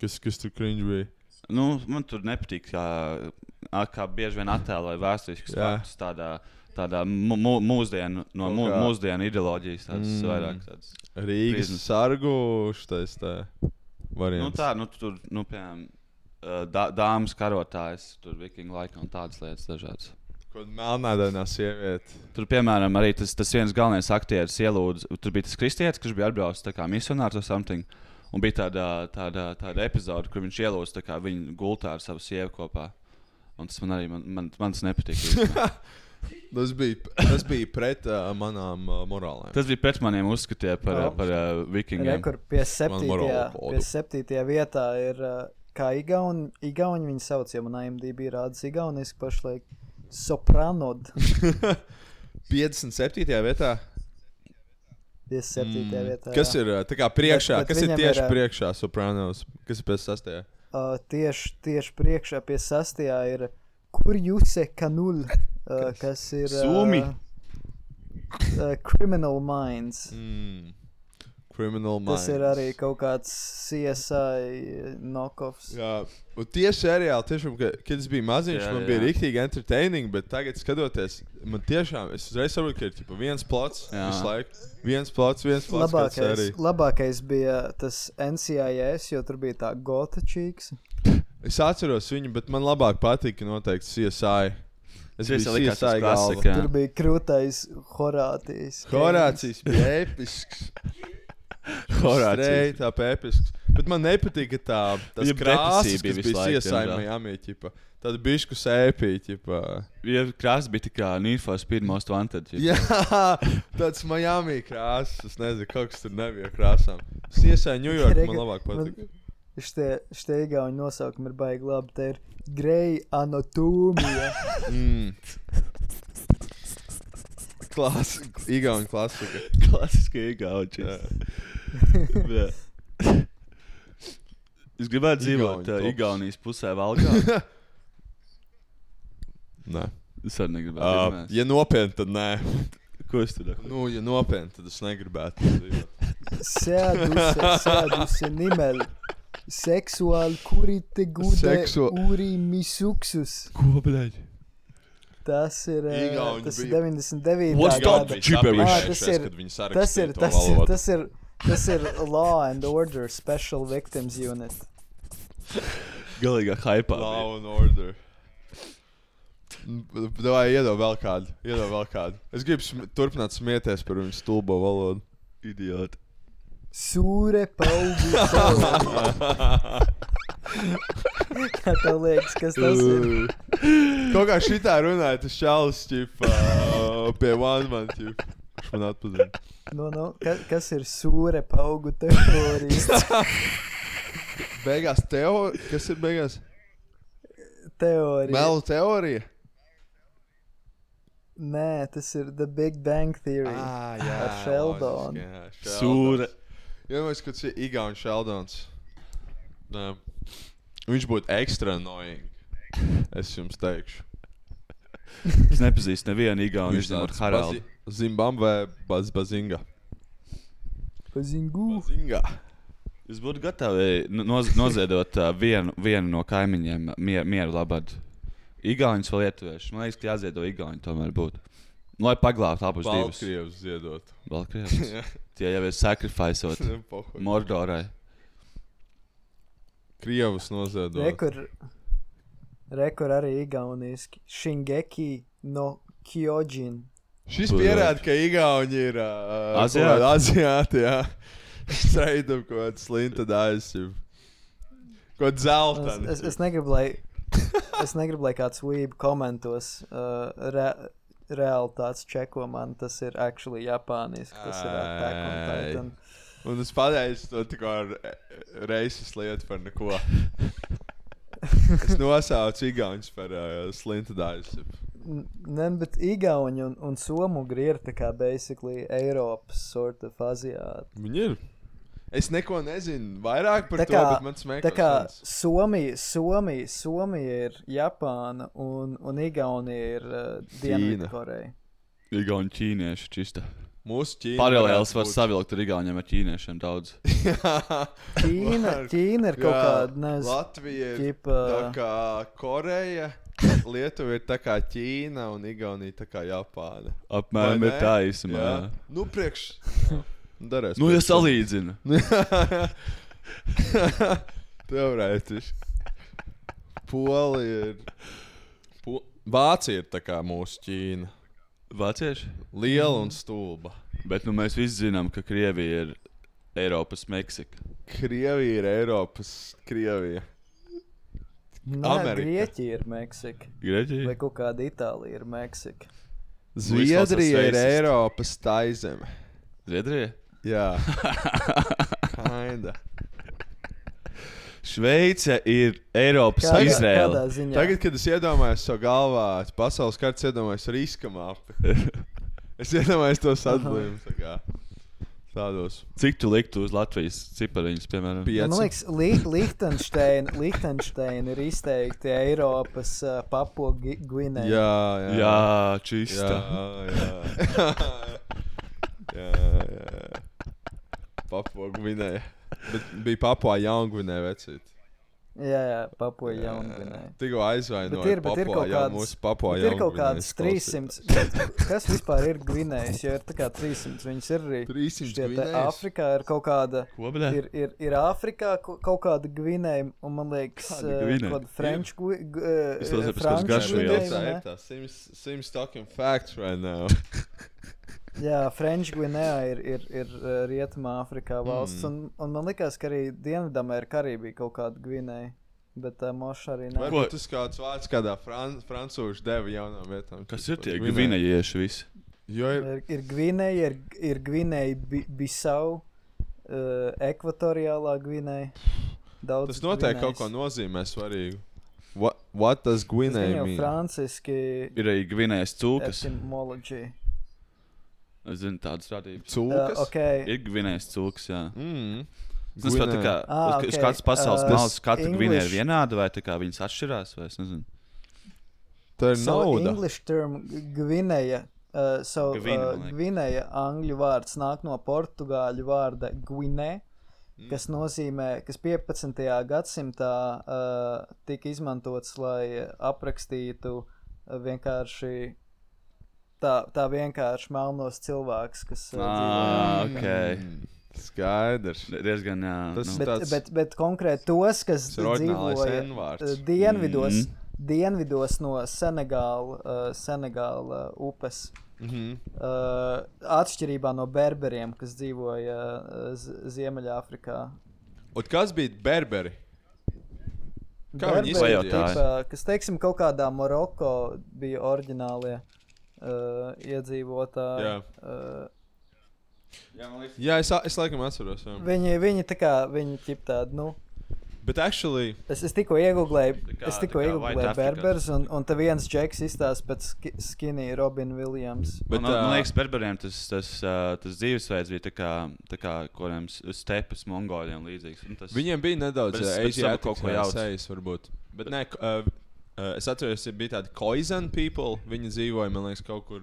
Kas tur cringe bija? Man tur nepatīk, kā bieži vien attēloja vēsturiskas faktus tādā mūsdienu ideoloģijas, tādas vairāk tādas. Rīgas sargu šitais tā variants. Tur, piemēram, dāmas karotājs, tur vikingu laika un tādas lietas dažādas. Melnādainā sieviete. Tur, piemēram, arī tas viens galvenais aktieris ielūdz, tur bija tas kristietis, kurš bija atbraucis tā kā misionārs vai something, un bija tāda epizode, kur viņš ielūdz tā kā viņu gultā ar savu sievu kopā. Un tas man arī, man tas nepatīk. Tas bija pret manām morālēm. Tas bija pret maniem uzskatiem par vikingiem. Rekur pie 7. vietā ir, kā Igauni viņi sauc, ja man IMDb rādas igauniski pašlaik. Sopranod. 57. vietā? 57. vietā, kas ir tā kā priekšā? Kas ir tieši priekšā Sopranos? Kas ir pie 6? Tieši priekšā pie 6. ir Kurjuse Kanul, kas ir Sumi. Criminal Minds. Criminal Minds. Tas ir arī kaut kāds CSI knockoffs. Jā, un tieši seriāli, tiešām, kad es biju maziņš, man bija riktīgi entertaining, bet tagad skatoties, man tiešām, es uzreiz saprotu, ka ir tipa viens plots visu laiku. Viens plots, Labākais bija tas NCIS, jo tur bija tā gota čīks. Es atceros viņu, bet man labāk patika noteikti CSI. Es biju CSI galva. Tur bija krūtais Horācijas. Horācijas bija episks. Horācijas. Tā episks. Bet man nepatika tas krāsas, kas bija CSI Miami, ķipa. Tāda bišku sēpī, ķipa. Ja krāsas bija tā kā Need for Speed Most Wanted. Ķipa. Jā, tāds Miami krāsas. Es nezinu, kaut kas tur nebija krāsām. CSI New York man labāk patika. Šitie igauņu nosaukumi ir baigi labi. Te ir Grey Anatomija. Igauņu klasika. Klasiska igauņu. Es gribētu dzīvot Igaunijas pusē Valgā. Nē. Es arī negribētu. Ja nopietni, tad nē. Ko es tur? Nu, ja nopietni, tad es negribētu dzīvot. Sēduse nimeli. Seksuāli kurite gude uri misuksus. Ko, bļaļ? Tas ir 99. What's gada. Tas ir Law and Order Special Victims Unit. Galīgā hypā. Law and Order. Davai, iedod vēl kādu. Es gribu turpināt smieties par viņu stulbo valodu. Idioti. Sūre paugu teorija. Kā tev liekas, kas tas ir? Kaut kā šitā runāja, tas čalis, ķipa, pie one man, ķipa. Viņš man atpazina. No, kas ir sūre paugu teorija? Beigās kas ir beigās? Teorija. Melu teorija? Nē, tas ir The Big Bang Theory. Jā. Ar Sheldonu. Sūre. Iedomājies, ka tas ir Igauņu Sheldons. Viņš būtu extra annoying. Es jums teikšu. Es nepazīstu nevienu Igauņu, viņš ar Haraldu. Zimbabwe Bazinga. Bazinga. Jūs būtu gatavi noziedot vienu no kaimiņiem mieru labad. Igauņus vai lietuvieši. Man liekas, ka jāziedo Igauņu tomēr būtu. Lai paglābtu abus divus. Baltkrievus ziedot. Baltkrievus? Tie jau ir sacrificeot Mordorai. Krievus noziedot. Rekur arī igauniski. Shingeki no Kyojin. Šis pierāda, ka Igauņi ir aziāti, jā. Streidam kaut kāds slinta dājas. Kaut zeltani. Es negribu, lai kāds weeb komentos realitātes čeko man. Tas ir actually japāniski. Tas ir Attack on Titan. Un es pateicu to tikko reises lietu par neko. Es nosaucu Igauņus par slinta dājas. Ne, bet Igauņi un Somugri ir tā kā basically Eiropas sort of aziāti. Viņi ir. Es neko nezinu vairāk par to, bet man smēkos. Tā kā Somija ir Japāna un Igaunija ir Dienvidkoreja. Igauņi ķīnieši čista. Mūsu Ķīna. Paralēls var savilkt ar Igauņiem ar ķīniešiem daudz. Ķīna ir kaut kāda, nezinu. Latvija ir tā kā Koreja. Lietuva ir tā kā Ķīna un Igaunija tā kā Japāna. Apmēram ir tā īsumā. Nu, priekš. Darēs. Nu, ja salīdzina. Teorētiski. Polija ir... Vācija ir tā kā mūsu Ķīna. Vācieši? Liela un stulba. Bet nu mēs visi zinām, ka Krievija ir Eiropas Meksika. Krievija ir Eiropas Krievija. Amerika. Grieķija ir Meksika. Grieķija? Vai kaut kāda Itālija ir Meksika. Zviedrija ir Eiropas taizeme. Zviedrija? Jā. Kinda. Šveice ir Eiropas Izraela. Tagad, kad es iedomājos savu galvā, pasaules kartas iedomājos riska mapi. Es iedomājos to sadalījumu tā kā. Tādos. Cik tu liktu uz Latvijas cipariņus, piemēram? 5. Man liekas, Lichtensteina ir izteikti Eiropas Papua Gvineja. Jā, čista. Jā. Papua Gvinēja. Bet bija Papua Jaungvinēja vecīt. Jā, Papua Jaungvinēja. Tikko aizvainoja Papua jau mūsu Papua Jaungvinējas. Ir kaut kādas 300. Kas vispār ir Gvinējas? Jo ir tā kā 300. Viņas ir arī 300 Gvinējas. Āfrikā ir kaut kāda. Ir Āfrikā kaut kāda Gvinēja. Un man liekas, kāda French Gvinēja. Ir tā seems talking facts right now. Jā, French Gvinēja ir Rietumā Āfrikā valsts, un man likās, ka arī Dienvidamerikā arī bija kaut kāda Gvinēja, bet moša arī nav. Varbūt tas kāds vārds kādā francūši deva jaunām vietām. Kas ir tie Gvinējieši visi? Ir Gvinēja, ir Gvinēja Bisau, Ekvatoriālā Gvinēja. Tas noteikti kaut ko nozīmē svarīgu. What does Gvinēja mean? Tas franciski ir arī Gvinējas cūkas. Etymology. Es zinu tādas radības. Cūkas? Okay. Ir Gvinējas cūkas, jā. Tas pat tā kā, uz kāds pasaules malas katra Gvinēja ir vienāda, vai tā kā viņas atšķirās, vai es nezinu. Tā ir nauda. English term Gvinēja, Gvinēja angļu vārds nāk no portugāļu vārda Guiné, kas nozīmē, kas 15. gadsimtā tika izmantots, lai aprakstītu vienkārši tā vienkārši melnos cilvēks, kas dzīvo. Okay. Skaidrs. Diezgan, jā. Bet konkrēti tos, kas dzīvoja dienvidos no Senegāla upes. Atšķirībā no berberiem, kas dzīvoja Ziemeļāfrikā. Un kas bija berberi? Kā viņi izskatījās? Kas, teiksim, kaut kādā Maroko bija oriģinālie iedzīvotāji. Jā, es laikam atceros. Jā. Viņi tā kā, viņi ķip tādi, Bet actually... Es tikko iegooglēju berbers, un te viens džeks izstās pēc skinny Robin Williams. Bet, man liekas, berberiem tas dzīvesveids bija tā kā kodiem stepas mongoļiem līdzīgs. Viņiem bija nedaudz asiātikas sejas, varbūt. Bet nē, es atceros, bija tādi Khoisan people. Viņi dzīvoja, man liekas, kaut kur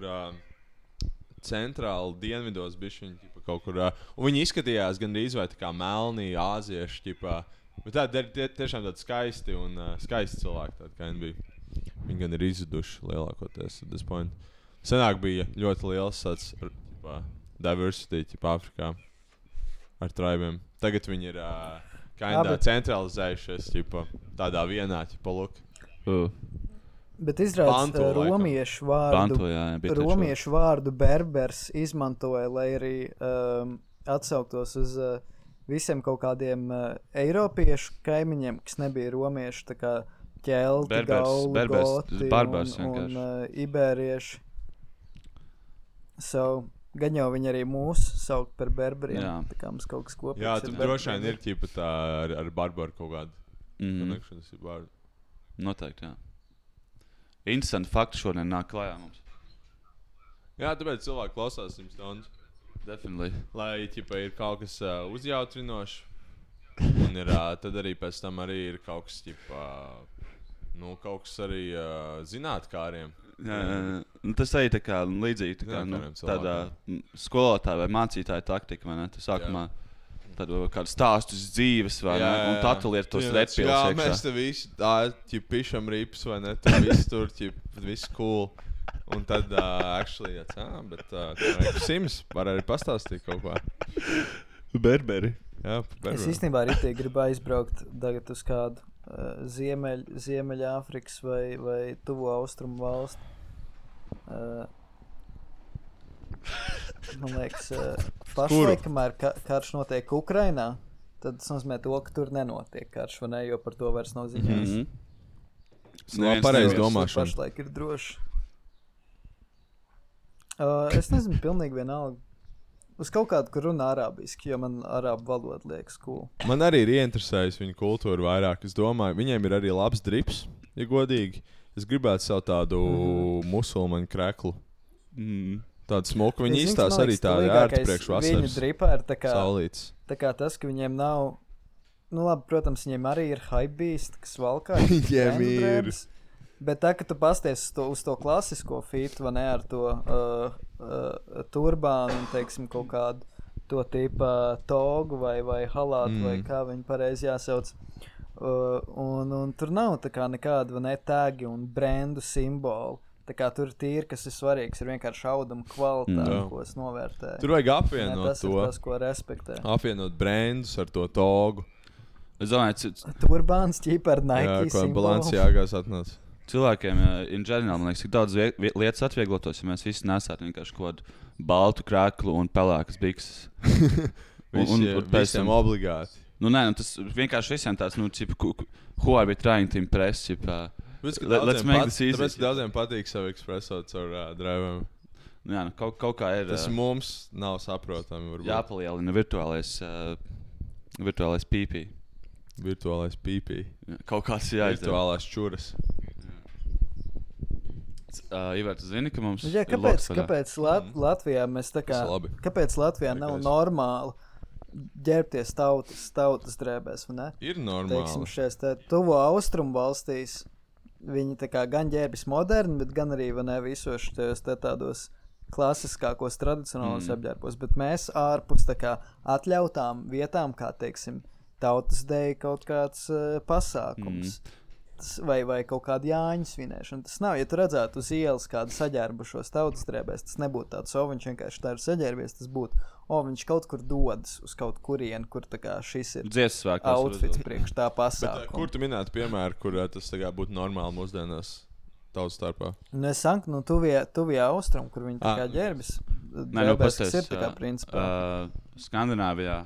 centrāli dienvidos bišķiņi, kaut kur. Un viņi izskatījās gandrīz vai tā kā melnī āzieši, ķipā. Bet tādi tiešām tādi skaisti un skaisti cilvēki, tādi kā viņi bija. Viņi gan ir izzuduši lielākoties at this point. Senāk bija ļoti liels tāds diversity, Āfrikā ar tribiem. Tagad viņi ir centralizējušies, tādā vienā, look. Bet izrādās romiešu vārdu berbers izmantoja, lai arī atsauktos uz visiem kaut kādiem eiropiešu kaimiņiem, kas nebija romieši, tā kā ķelti, gauli, goti un iberieši. Gan jau viņi arī mūs saukt par berberiem, tā kā mums kaut kas kopīgs. Jā, tur droši vien ir ķipa tā ar barbaru kaut kādu connections ir vārdu. Noteikti, jā. Interesanti fakti šodien nāk klājā mums. Jā, tāpēc cilvēki klausās Sims Stones. Definitely. Lai ķipa ir kaut kas uzjautrinošs. Un tad arī pēc tam arī ir kaut kas ķipa, kaut kas arī zinātkāriem. Jā. Tas arī tā kā līdzīgi tādā skolotāja vai mācītāja taktika, vai ne? Tu sākumā tādu kādu stāstu dzīves, vai ne? Un tad tu liet tos redpils iekšā. Jā, mēs te visi pišam rips, vai ne? Tu visi tur, viss cool. Un tad, actually, bet Sims var arī pastāstīt kaut ko. Berberi. Jā, berberi. Es īstenībā ritīgi gribu aizbraukt tagad uz kādu Ziemeļāfrikas vai tuvo austrumu valstu. Man liekas, pašlaik, kamēr karš notiek Ukrainā, tad tas nozīmē to, ka tur nenotiek karš, vai ne, jo par to vairs nav ziņās. Pareizi domāšana. Pašlaik ir droši. Es nezinu, pilnīgi vienalga. Uz kaut kādu, kur runā arābiski, jo man arābu valoda liekas cool. Man arī ir ieinteresējis viņu kultūru vairāk. Es domāju, viņiem ir arī labs drips, ja godīgi. Es gribētu savu tādu musulmaņu kreklu. Tādu smuku. Viņi izstās arī tādi ērti priekš vasaras. Viņu dripā ir saulītes. Tā kā tas, ka viņiem nav... labi, protams, viņiem arī ir hypebeast, kas valkā. Viņiem ir... Bet tā, ka tu pasties uz to klasisko fitu, vai ne, ar to turbānu un, teiksim, kaut kādu to tipa togu vai halātu, vai kā viņi pareizi jāsauc. Un tur nav tā kā nekāda ne tagi un brendu simbolu. Tā kā tur tīri, kas ir svarīgs, ir vienkārši auduma kvalitāte, ko es novērtēju. Tur vajag apvienot tas to. Tas ir tas, ko respektē. Apvienot brendus ar to togu. Es domāju, Turbāns ķipa ar Nike simbolu. Jā, ko Balenciagās atnāca. Cilvēkiem, in general, man liekas, tik daudz lietas atvieglotos, ja mēs visi nesātu vienkārši kaut kādu baltu krāklu un pelēkas bikses. Visiem obligāti. Nē, tas vienkārši visiem tāds, who are we trying to impress, let's make this easy. Tāpēc daudziem patīk savu ekspreso caur driviem. Jā, kaut kā ir. Tas mums nav saprotami. Jāpalielina virtuālais pīpī. Virtuālais pīpī. Kaut kāds jāizdara. Virtuālās čuras. Ivar, tu zini, ka mums kāpēc Latvijā mēs tā kā... Kāpēc Latvijā nav normāli ģērbties tautas drēbēs, vai ne? Ir normāli. Teiksim, šies tuvo austrumu valstīs viņi tā kā gan ģērbjas moderni, bet gan arī, vai ne, visos tādos klasiskākos tradicionālos apģērbos, bet mēs ārpus tā kā atļautām vietām, kā, teiksim, tautas deja kaut kāds pasākums. Vai kaut kāda Jāņu svinēšana. Tas nav, ja tu redzētu uz ielas kādu saģērbušos tautas drēbēs, tas nebūtu tāds, viņš vienkārši tā ir saģērbies, tas būtu, viņš kaut kur dodas uz kaut kurienu, kur tā kā šis ir outfits priekš tā pasākuma. Bet, kur tu minētu piemēru, kur tas tā kā būtu normāli mūsdienās tautas starpā? Es saku, tuvie austrum, kur viņi tā kā ģērbis. Drēbēs, kas ir tā kā principā. Skandināvijā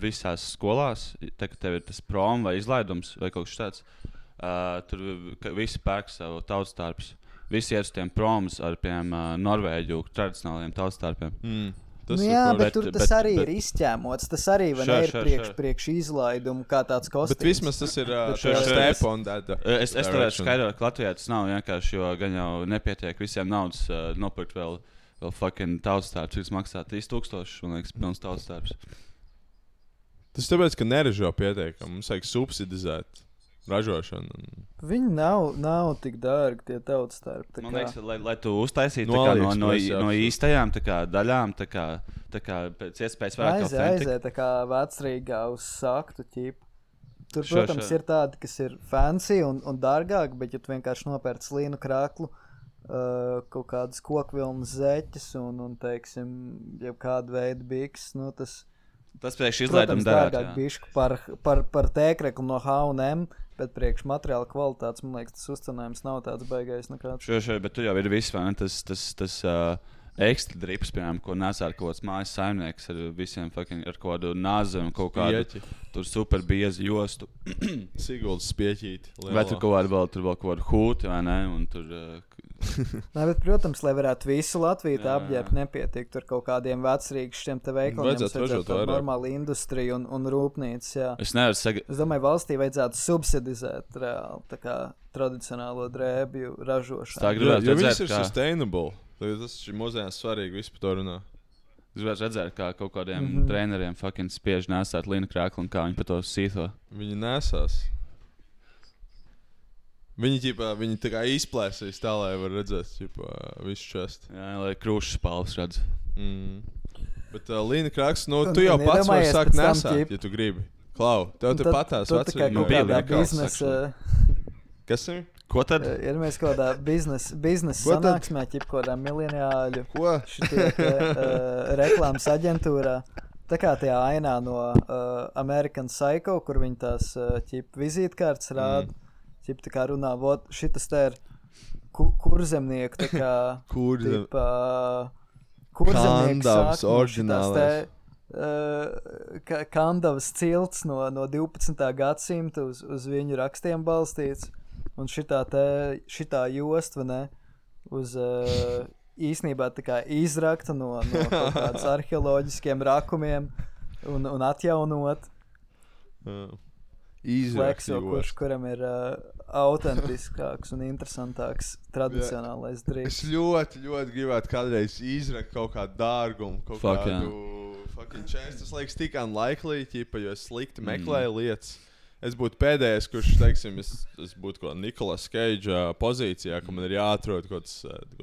visās skolās, tā kā tev ir tas prom vai izlaidums vai kaut kas tāds, tur visi pērk savu tautstārpus. Visi iet uz tiem promus ar Norvēģu tradicionāliem tautstārpiem. Bet tur tas arī ir izķēmots. Tas arī ir priekš izlaidumu kā tāds kostīms. Bet vismaz tas ir step on that. Es tev skaidroju, ka Latvijā tas nav vienkārši, jo gan jau nepietiek visiem naudas nopirkt vēl fucking tautstārpus, kas maksā 3000, man liekas, pilns tautstārpus. Tas tāpēc, ka neražo pietiekami. Mums vajag subsidizēt ražošanu. Viņi nav tik dārgi tie tautstārpi. Man liekas, lai tu uztaisītu no īstajām daļām, pēc iespējas vairāk aiziet tā kā Vecrīgā uz saktu ķipu. Tur, protams, ir tādi, kas ir fancy un dārgāki, bet ja tu vienkārši nopērc līnu krāklu, kaut kādas kokvilnas zeķes un teiksim, jau kādu veidu biks, tas priekš izlaiduma darāt, dārgāk bišku par tēkreklu no H&M, bet priekš materiāla kvalitātes, man liekas, tas uzcenājums nav tāds baigais nekāds. Bet tu jau ir viss, vai ne? Tas ekstra drips, piemēram, ko nesā ar kaut kāds mājas saimnieks ar visiem fucking, ar kaut kādu nāzi un kaut kādu tur super biezi jostu. Siguldas spieķīti. Vai tur kaut kādu hūti, vai ne? Un tur... Nē, bet, protams, lai varētu visu Latviju tā apģērbt, nepietiek tur kaut kādiem Vecrīgas šiem te veikaliem. Vajadzētu tādu normālu industriju un rūpnīcas, jā. Es domāju, valstī vajadzētu subsidizēt reāli tā kā tradicionālo drēbju ražošanu. Jo viņas ir sustainable. Tas ir mūsdienās svarīgi, visi par to runā. Es gribētu redzēt, kā kaut kādiem treneriem fucking spiež nesāt līnu krāklu un kā viņi par to sīto. Viņi nesās. Viņi tā kā izplēsīs tā, lai var redzēt visu čestu. Jā, lai krūšas palvas redz. Bet līna krāks, tu jau pats vari sākt nesāt, ja tu gribi. Klau, tev te patās vecrīgi. Kas ir? Ko tad? Ir mēs kaut kādā biznesa sanāksmē, kaut kādā miljoniāļu reklāmas aģentūrā. Tā kā tajā ainā no American Psycho, kur viņi tās vizītkārtas rāda. Tā kā runā, šitas te ir kurzemnieku, tā kā Kandavas oriģinālais. Kandavas cilts no 12. gadsimta uz viņu rakstiem balstīts. Un šitā jost, vai ne, uz īsnībā tā kā izrakta no kaut kādas arheoloģiskiem rakumiem un atjaunot. Flexo, kuram ir autentiskāks un interesantāks tradicionālais drīz. Es ļoti gribētu kādreiz izrakt kaut kādu dārgumu, kaut kādu fucking chance. Tas liekas tik unlikely, jo es slikti meklēju lietas. Es būtu pēdējais, kurš, teiksim, es būtu kaut Nicolas Cage pozīcijā, ka man ir jāatrod kaut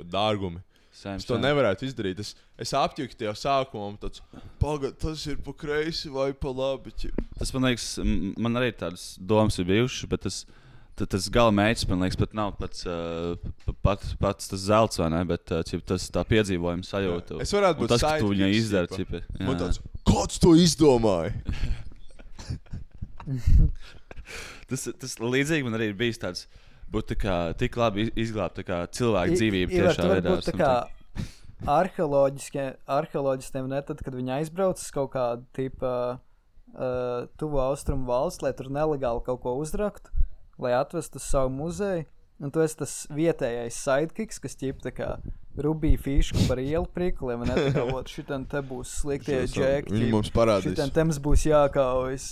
dārgumi. Es to nevarētu izdarīt. Es apjuku tajā sākumā un tāds, pagad, tas ir pa kreisi vai pa labi. Tas man liekas, man arī tādas domas ir bijušas, bet tas gala mērķis, man liekas, pat nav pats tas zelts, vai ne, bet tas tā piedzīvojuma sajūta. Es varētu būt tas, ka tu viņai izdari. Man tāds, kāds to izdomāja? tas līdzīgi man arī ir bijis tāds, būt tik labi izglābt cilvēku dzīvību tiešā veidā. Būt tā kā arheoloģistiem, ne tad, kad viņi aizbrauc uz kaut kādu tipa tuvo austrumu valsts, lai tur nelegāli kaut ko uzraktu, lai atvestu uz savu muzeju. Un tu esi tas vietējais sidekicks, kas ķip tā kā rubīja fīšku par ielu prikuliem, un tā kā, šitan te būs sliktie džeki. Viņi mums parādīs. Šitan te mums būs jākaujas.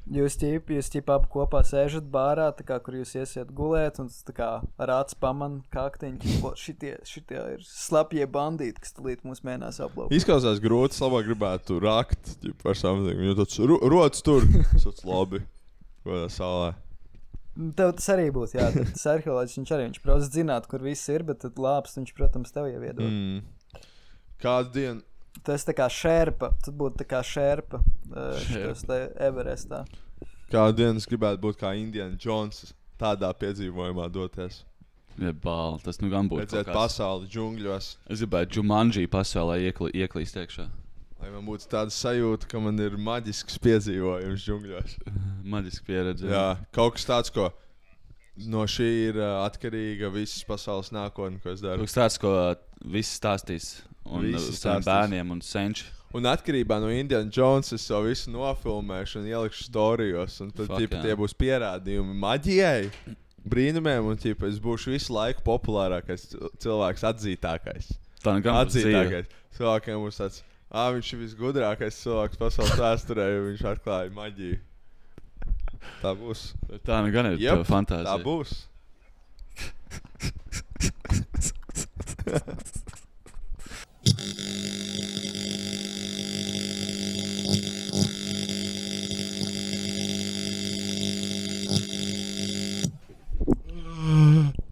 Jūs ķip abi kopā sēžat bārā, tā kā, kur jūs iesiet gulēt, un tā kā ar acu paman kaktiņu, šitie ir slapjie bandīti, kas tulīt mūs mēnās aplauk. Izklausās grūti, labāk gribētu rakt, par samzīm. Jo tāds rots tur, tāds labi, godā salē. Tev tas arī būtu, jā, tas arheoloģis, viņš protams zināt, kur viss ir, bet tad lāpst viņš, protams, tev jau iedod. Kādu dienu? Tu esi tā kā šerpa, tu būtu tā kā šerpa šitos te Everestā. Kādu dienu es gribētu būt kā Indiana Jones, tādā piedzīvojumā doties. Ja bāl, tas nu gan būtu. Redzēt pasauli džungļos. Es gribētu Jumanji pasaulē ieklīst iekšā. Lai man būtu tāda sajūta, ka man ir maģisks piedzīvojums džungļos. Maģiska pieredze. Jā, kaut kas tāds, ko no šī ir atkarīga visas pasaules nākotne, ko es daru. Kaut kas tāds, ko visi stāstīs. Un saviem bērniem un senči. Un atkarībā no Indiana Jones es to visu nofilmēšu un ielikšu storijos. Un tad tie būs pierādījumi maģijai, brīnumiem, un es būšu visu laiku populārākais cilvēks, atzītākais. Tā gan atzītākais. Cilvēkiem būs tāds, viņš ir visgudrākais cilvēks pasaules vēsturē, jo viņš atklāja maģiju. Tā būs. Tā nu gan ir tava fantāzija. Tā būs.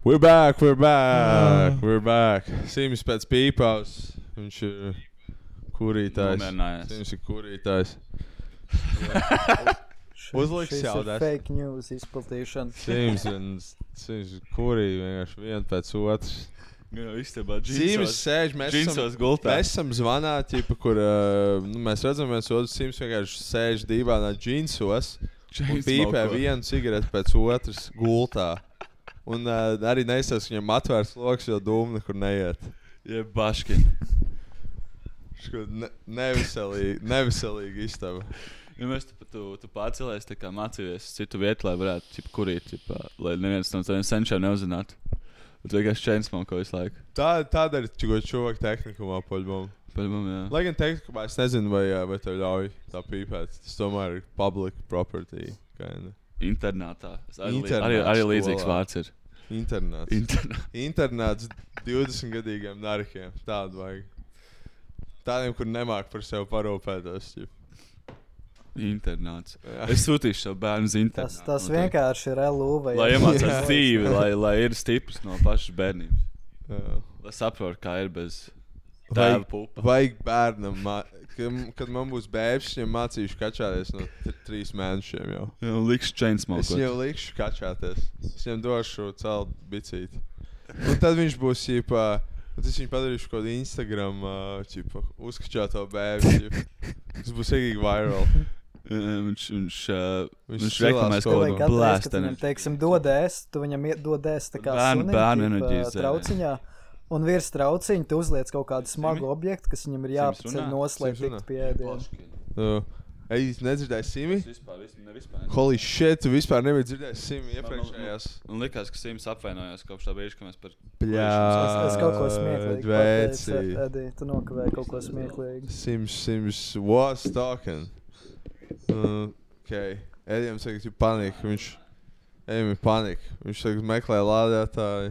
We're back. Sims pēc pīpaus. Viņš ir kurītājs. Sims ir kurītājs. Uzliks jaudās. Fake news izplatīšana. Sims ir kurī vienkārši vien pēc otrs. Jā, istabā Sims sēž, mēs esam zvanā, kur mēs redzam viens otru. Sims vienkārši sēž dīvainā džinsos un pīpē vienu cigareti pēc otras gultā. Un arī neizsās, ka viņam atvērts loks, jo dūma nekur neiet. Ja baškin. Neviselīgi istaba. Ja mēs tu pārcēlēs tā kā mācījies citu vietu, lai varētu kurīt, lai neviens no taviem senčiem neuzzinātu. Tu vienkārši chainsmoke visu laiku. Tāda ir čovaka tehnikumā paļbom, jā. Lai gan tehnikumā es nezinu, vai tev ļauj tā pīpēt. Tas tomēr ir public property. Internātā. Arī līdzīgs vārds ir. Internāts 20-gadīgiem narikiem. Tādu vajag. Tādiem, kur nemāk par sevi parūpētos. Internāts. Es sūtīšu savu bērnu uz internātu. Tas vienkārši ir LUV. Lai iemācās dzīvi, lai ir stiprs no pašas bērnības. Lai saprot, kā ir bez tēva pupa. Vajag bērnam, kad man būs bēbs, viņam mācīšu kačāties no 3 mēnešiem jau. Jā, likšu chainsmoke. Es viņam likšu kačāties. Es viņam došu celt bicīti. Un tad viņš būs, tas viņš padarīšu kaut Instagram, uzkačāto bēbi. Tas būs egīgi viral. Viņš reklamēs kaut ko blēst. Viņam, teiksim, dodēs, tu viņam dodēs tā kā sunim, trauciņā. Un virs trauciņa tu uzliec kaut kādu smagu objektu, kas viņam ir jāpaceļ noslēgt tikt pie ēdienu. Es nedzirdēju Simi? Holy shit, tu vispār nebija dzirdējis Simi iepriekšējās. Un likās, ka Sims apvainojās kopš tā brīža, ka mēs par... Es kaut ko smieklīgi dvēci. pateicu, Edi, tu nokavēji kaut ko smieklīgi. Sims was talking. Okay. Edijam saka, ka panika. Edijam ir panika. Viņš saka, meklē lādētāju.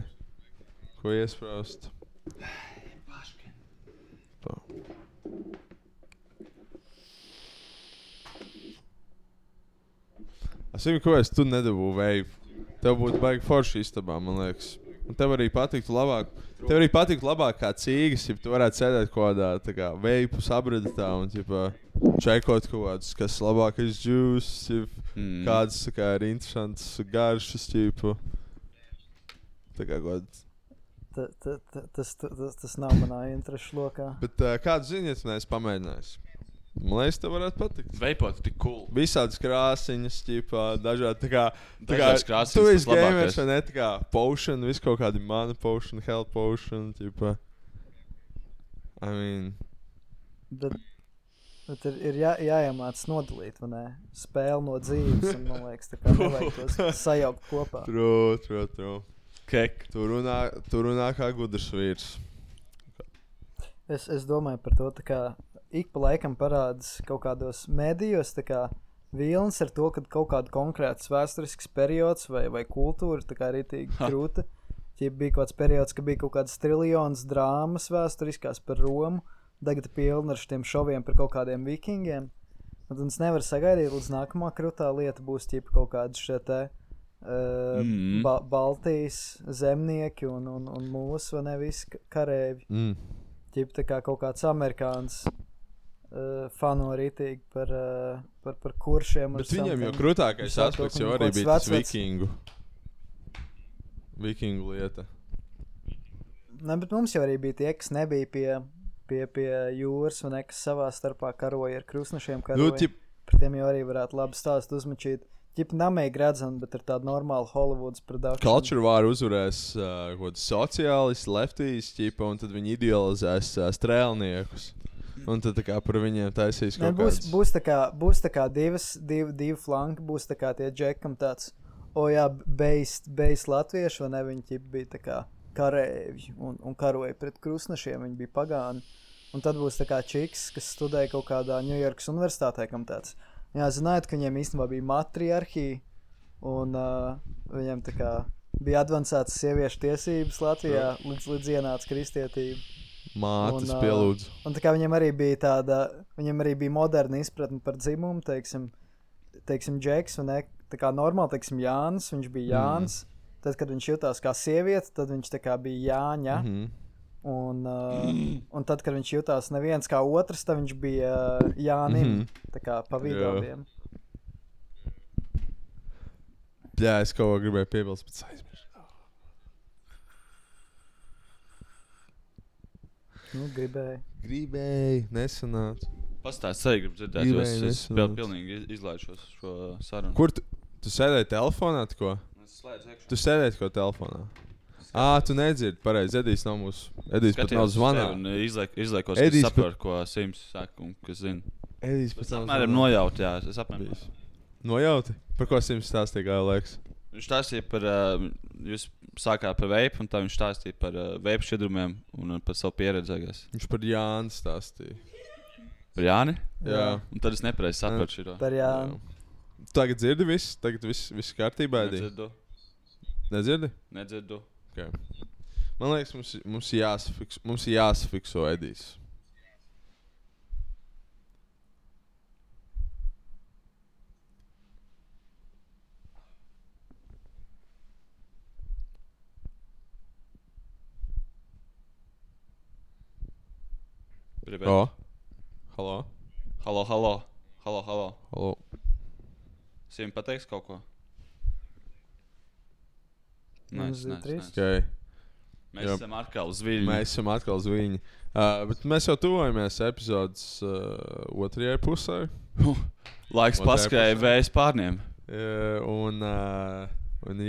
Ko iespraust? Es zinu, kāpēc tu nedabū veipu. Tev būtu baigi forši istabā, man liekas. Un tev arī patiktu labāk kā cīgas, ja tu varētu sēdēt kādā tā kā veipu sabredetā un čekot kaut kādus, kas labākais juice, kādas tā kā ir interesants garšas, tā kā kāds. Tas nav manā interešu lokā. Bet kādu zini, ja tu neesi pamēģinājis? Man liekas, tev varētu patikt. Veipot tik cool. Visādas krāsiņas, dažādi tā kā Dažādas krāsiņas, tu esi tas labākais. gamers, vai ne? Tā kā potion, visu kaut kādi mana potion, health potion, I mean. Bet ir jāiemāc nodalīt, vai ne? Spēle no dzīves, un man liekas, tā kā nevajag tos sajaukt kopā. True. Kek. Tu runā kā gudrs vīrs. Es domāju par to, tā kā ik pa laikam parādas kaut kādos medijos, tā kā vilnis ar to, ka kaut kāda konkrēts vēsturisks periods vai kultūra tā kā ritīgi krūta. Ja bija kaut kāds periods, ka bija kaut kādas triljonas drāmas vēsturiskās par Romu, tagad pilna ar šiem šoviem par kaut kādiem vikingiem. Un es nevaru sagaidīt, līdz nākamā krūtā lieta būs kaut kādi šie te Baltijas zemnieki un mūsu, vai ne, visi karēvi. Tā kā kaut kāds amerikāns fano ritīgi par kuršiem. Bet viņiem jau krūtākais aspekts jau arī bija tas vikingu lieta. Ne, bet mums jau arī bija tie, kas nebija pie jūras, vai ne, kas savā starpā karoja ar krusnešiem karoja. Par tiem jau arī varētu labi stāst uzmačīt. Namīgi redzam, bet ir tāda normāla Hollywoods production. Culture War uzvarēs kaut sociālisti, lefties, un tad viņi idealizēs strēlniekus. Un tad tā kā par viņiem taisīs kaut kāds. Būs tā kā divi flanki, būs tā kā tie džekam tāds, bejs latvieši, vai ne, viņi bija tā kā karēvi un karoja pret krusnešiem, viņi bija pagāni. Un tad būs tā kā čiks, kas studēja kaut kādā Ņujorkas universitātē, kam tāds. Jā, zinājāt, ka viņiem īstenībā bija matriarhija, un viņiem tā kā bija advancētas sieviešu tiesības Latvijā, līdz ienāca kristietība. Mātes pielūdz. Un tā kā viņiem arī bija moderna izpratne par dzimumu, teiksim Džeks, vai ne, tā kā normāli, teiksim, Jānis, viņš bija Jānis, tad, kad viņš jutās kā sieviete, tad viņš tā kā bija Jāņa, un tad, kad viņš jutās neviens kā otrs, tad viņš bija Jānim, tā kā pa vidoviem. Jā, es kaut ko gribēju piebilst, bet aizmirsu. Gribēju, nesanāca. Pastāst, arī gribu dzirdēt, jo es pilnīgi izlaišos šo sarunu. Kur tu sēdēji telefonā, ko? Es slēdzu iekšā. Tu sēdēji ko telefonā? Tu nedzirdi, pareizi, Edijs nav mūsu. Edijs pat nav zvanā. Izliekos, ka saprotu, ko Sims saka un kas zina. Edijs pat nav zvanā. Apmēram nojauti, jā, es apmēram. Nojauti? Par ko Sims stāstīja, kā liekas? Viņš stāstīja par, jūs sākāt par veipu, un tā viņš stāstīja par veipu šķidrumiem un par savu pieredzēgās. Viņš par Jāni stāstīja. Par Jāni? Jā. Un tad es nepareizi saprotu šito. Par Jāni. Tagad dzirdi viss? Tagad viss kārtībā, Edī? Nedzirdu. Nedzirdi? Nedzirdu. Okay. Man liekas, mums jāsafikso Edijs. Halo. Sim pateiks kaut ko? Nē. Okay. Mēs esam atkal uz viļņa. Bet mēs jau tuvojamies epizodes otrajai pusē. Laiks paskrēja vējas pārniem. Un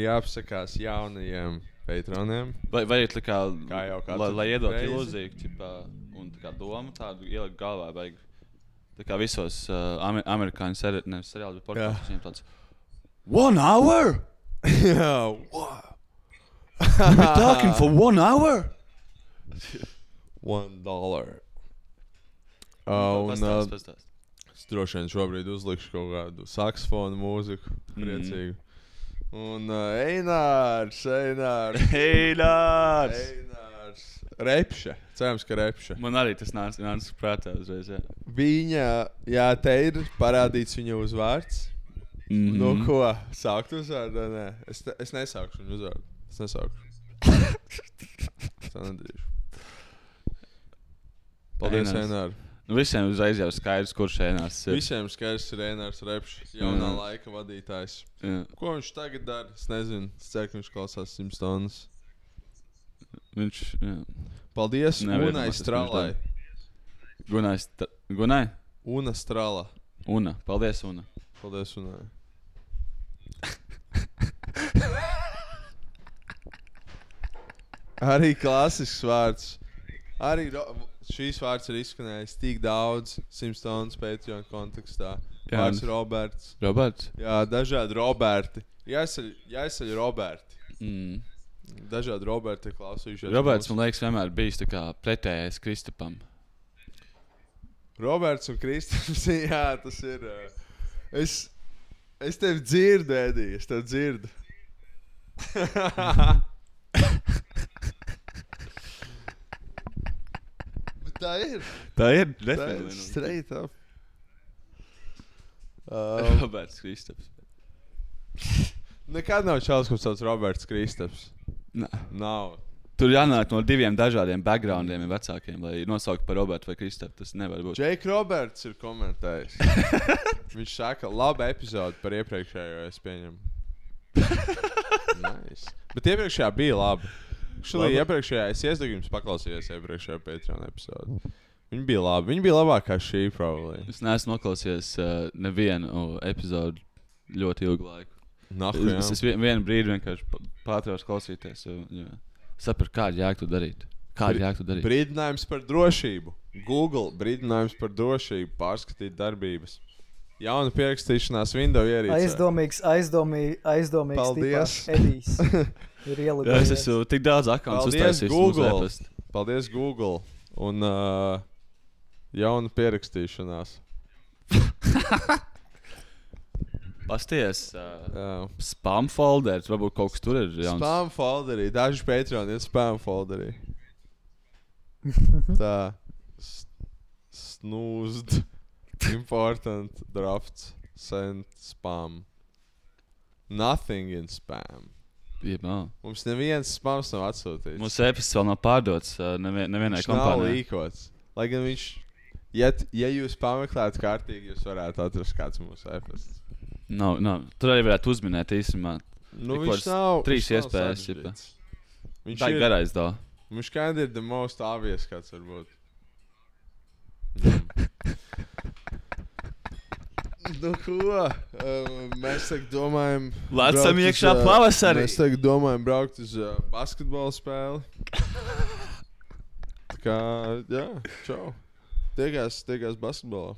jāapsakās jaunajiem patroniem. Vai ir tā kā, lai iedot reizi. ilūziju, un tā kā domu tādu ielikt galvā, vajag tā kā visos amerikāņu seriāli, bet podkastos tāds 1 hour? Jā, wow. We'll be talking for 1 hour? $1. Pastāst. Es droši vien šobrīd uzlikšu kaut kādu saksofonu mūziku, priecīgu. Un Einārs. Repše. Cerams, ka repše. Man arī tas nāca prātā uzreiz, jā. Viņa, te ir parādīts viņa uzvārds. Nu, ko? Sākt uzvārdu? Nē, es nesaukšu viņu uzvārdu. Es nesaukšu. Tā nedarīšu. Paldies, Einār. Nu, visiem uzreiz jau skaidrs, kurš Einārs ir. Visiem skaidrs ir Einārs Repšs, jaunā laika vadītājs. Jā. Ko viņš tagad dara? Es nezinu. Es ceru, ka viņš klausās Simpsons. Viņš, jā. Paldies Unai Stralai. Gunai? Una Strala. Una. Paldies, Una. Paldies, Unai. Arī klasisks vārds. Arī šīs vārds ir izskanējis tik daudz Simpsons Patreon kontekstā. Vārds Roberts. Roberts? Jā, dažādi Roberti. Jāizceļ Roberti. Dažādi Roberti klausījušies. Roberts, man liekas, vienmēr bijis tā kā pretējais Kristapam. Roberts un Kristaps, jā, tas ir. Es tevi dzirdu, Edī, es tevi dzirdu. Tā ir. Tā ir, definitīvi. Straight up. Roberts Kristaps. Nekad nav čalis, kurš sauc Roberts Kristaps. Nav. Tur jānāk no 2 dažādiem backgroundiem vecākiem, lai nosauktu par Robertu vai Kristapu. Tas nevar būt. Jake Roberts ir komentējis. Viņš saka, laba epizode par iepriekšējo, es pieņemu. Nice. Bet iepriekšējā bija labi. Iepriekšējā es iesdagu jums paklausījos iepriekšējā Patreon epizodi. Viņa bija labi. Viņa bija labākā šī, probably. Es neesmu noklausījies nevienu epizodu ļoti ilgu laiku. Es vienu brīdi vienkārši pārtraucu klausīties. Sapratu, kādu jēgu tu darīt. Brīdinājums par drošību. Google brīdinājums par drošību. Pārskatīt darbības. Jauna pierakstīšanās Windows ierīcē. Aizdomīgs Paldies. Edijs. Ir ielūdījis. Es esmu tik daudz akkauntus uztaisījis. Google. Paldies, Google. Un jauna pierakstīšanās. Pasties. Spam folders. Varbūt kaut kas tur ir jauns. Spam folderī. Daži Patreon ir spam folderī. Tā. Snoozed. Important drafts. Sent spam. Nothing in spam. Jebā. Mums neviens spams nav atsūtīts. Mūsu e-pasts vēl nav pārdots nevienai kompānijai. Viņš nav līkots. Lai gan viņš, ja jūs pameklētu kārtīgi, jūs varētu atrast kāds mūsu e-pasts. Nav. Tur arī varētu uzminēt īstenībā. Nu, viņš nav. 3 iespējas. Viņš tā ir garais dā. Viņš kind ir the most obvious, kāds var būt. Nu, ko? Mēs tagad domājam... Lecam iekšā pavasarī. Mēs tagad domājam braukt uz basketbola spēli. Tā kā, jā, čau. Tiekās basketbolā.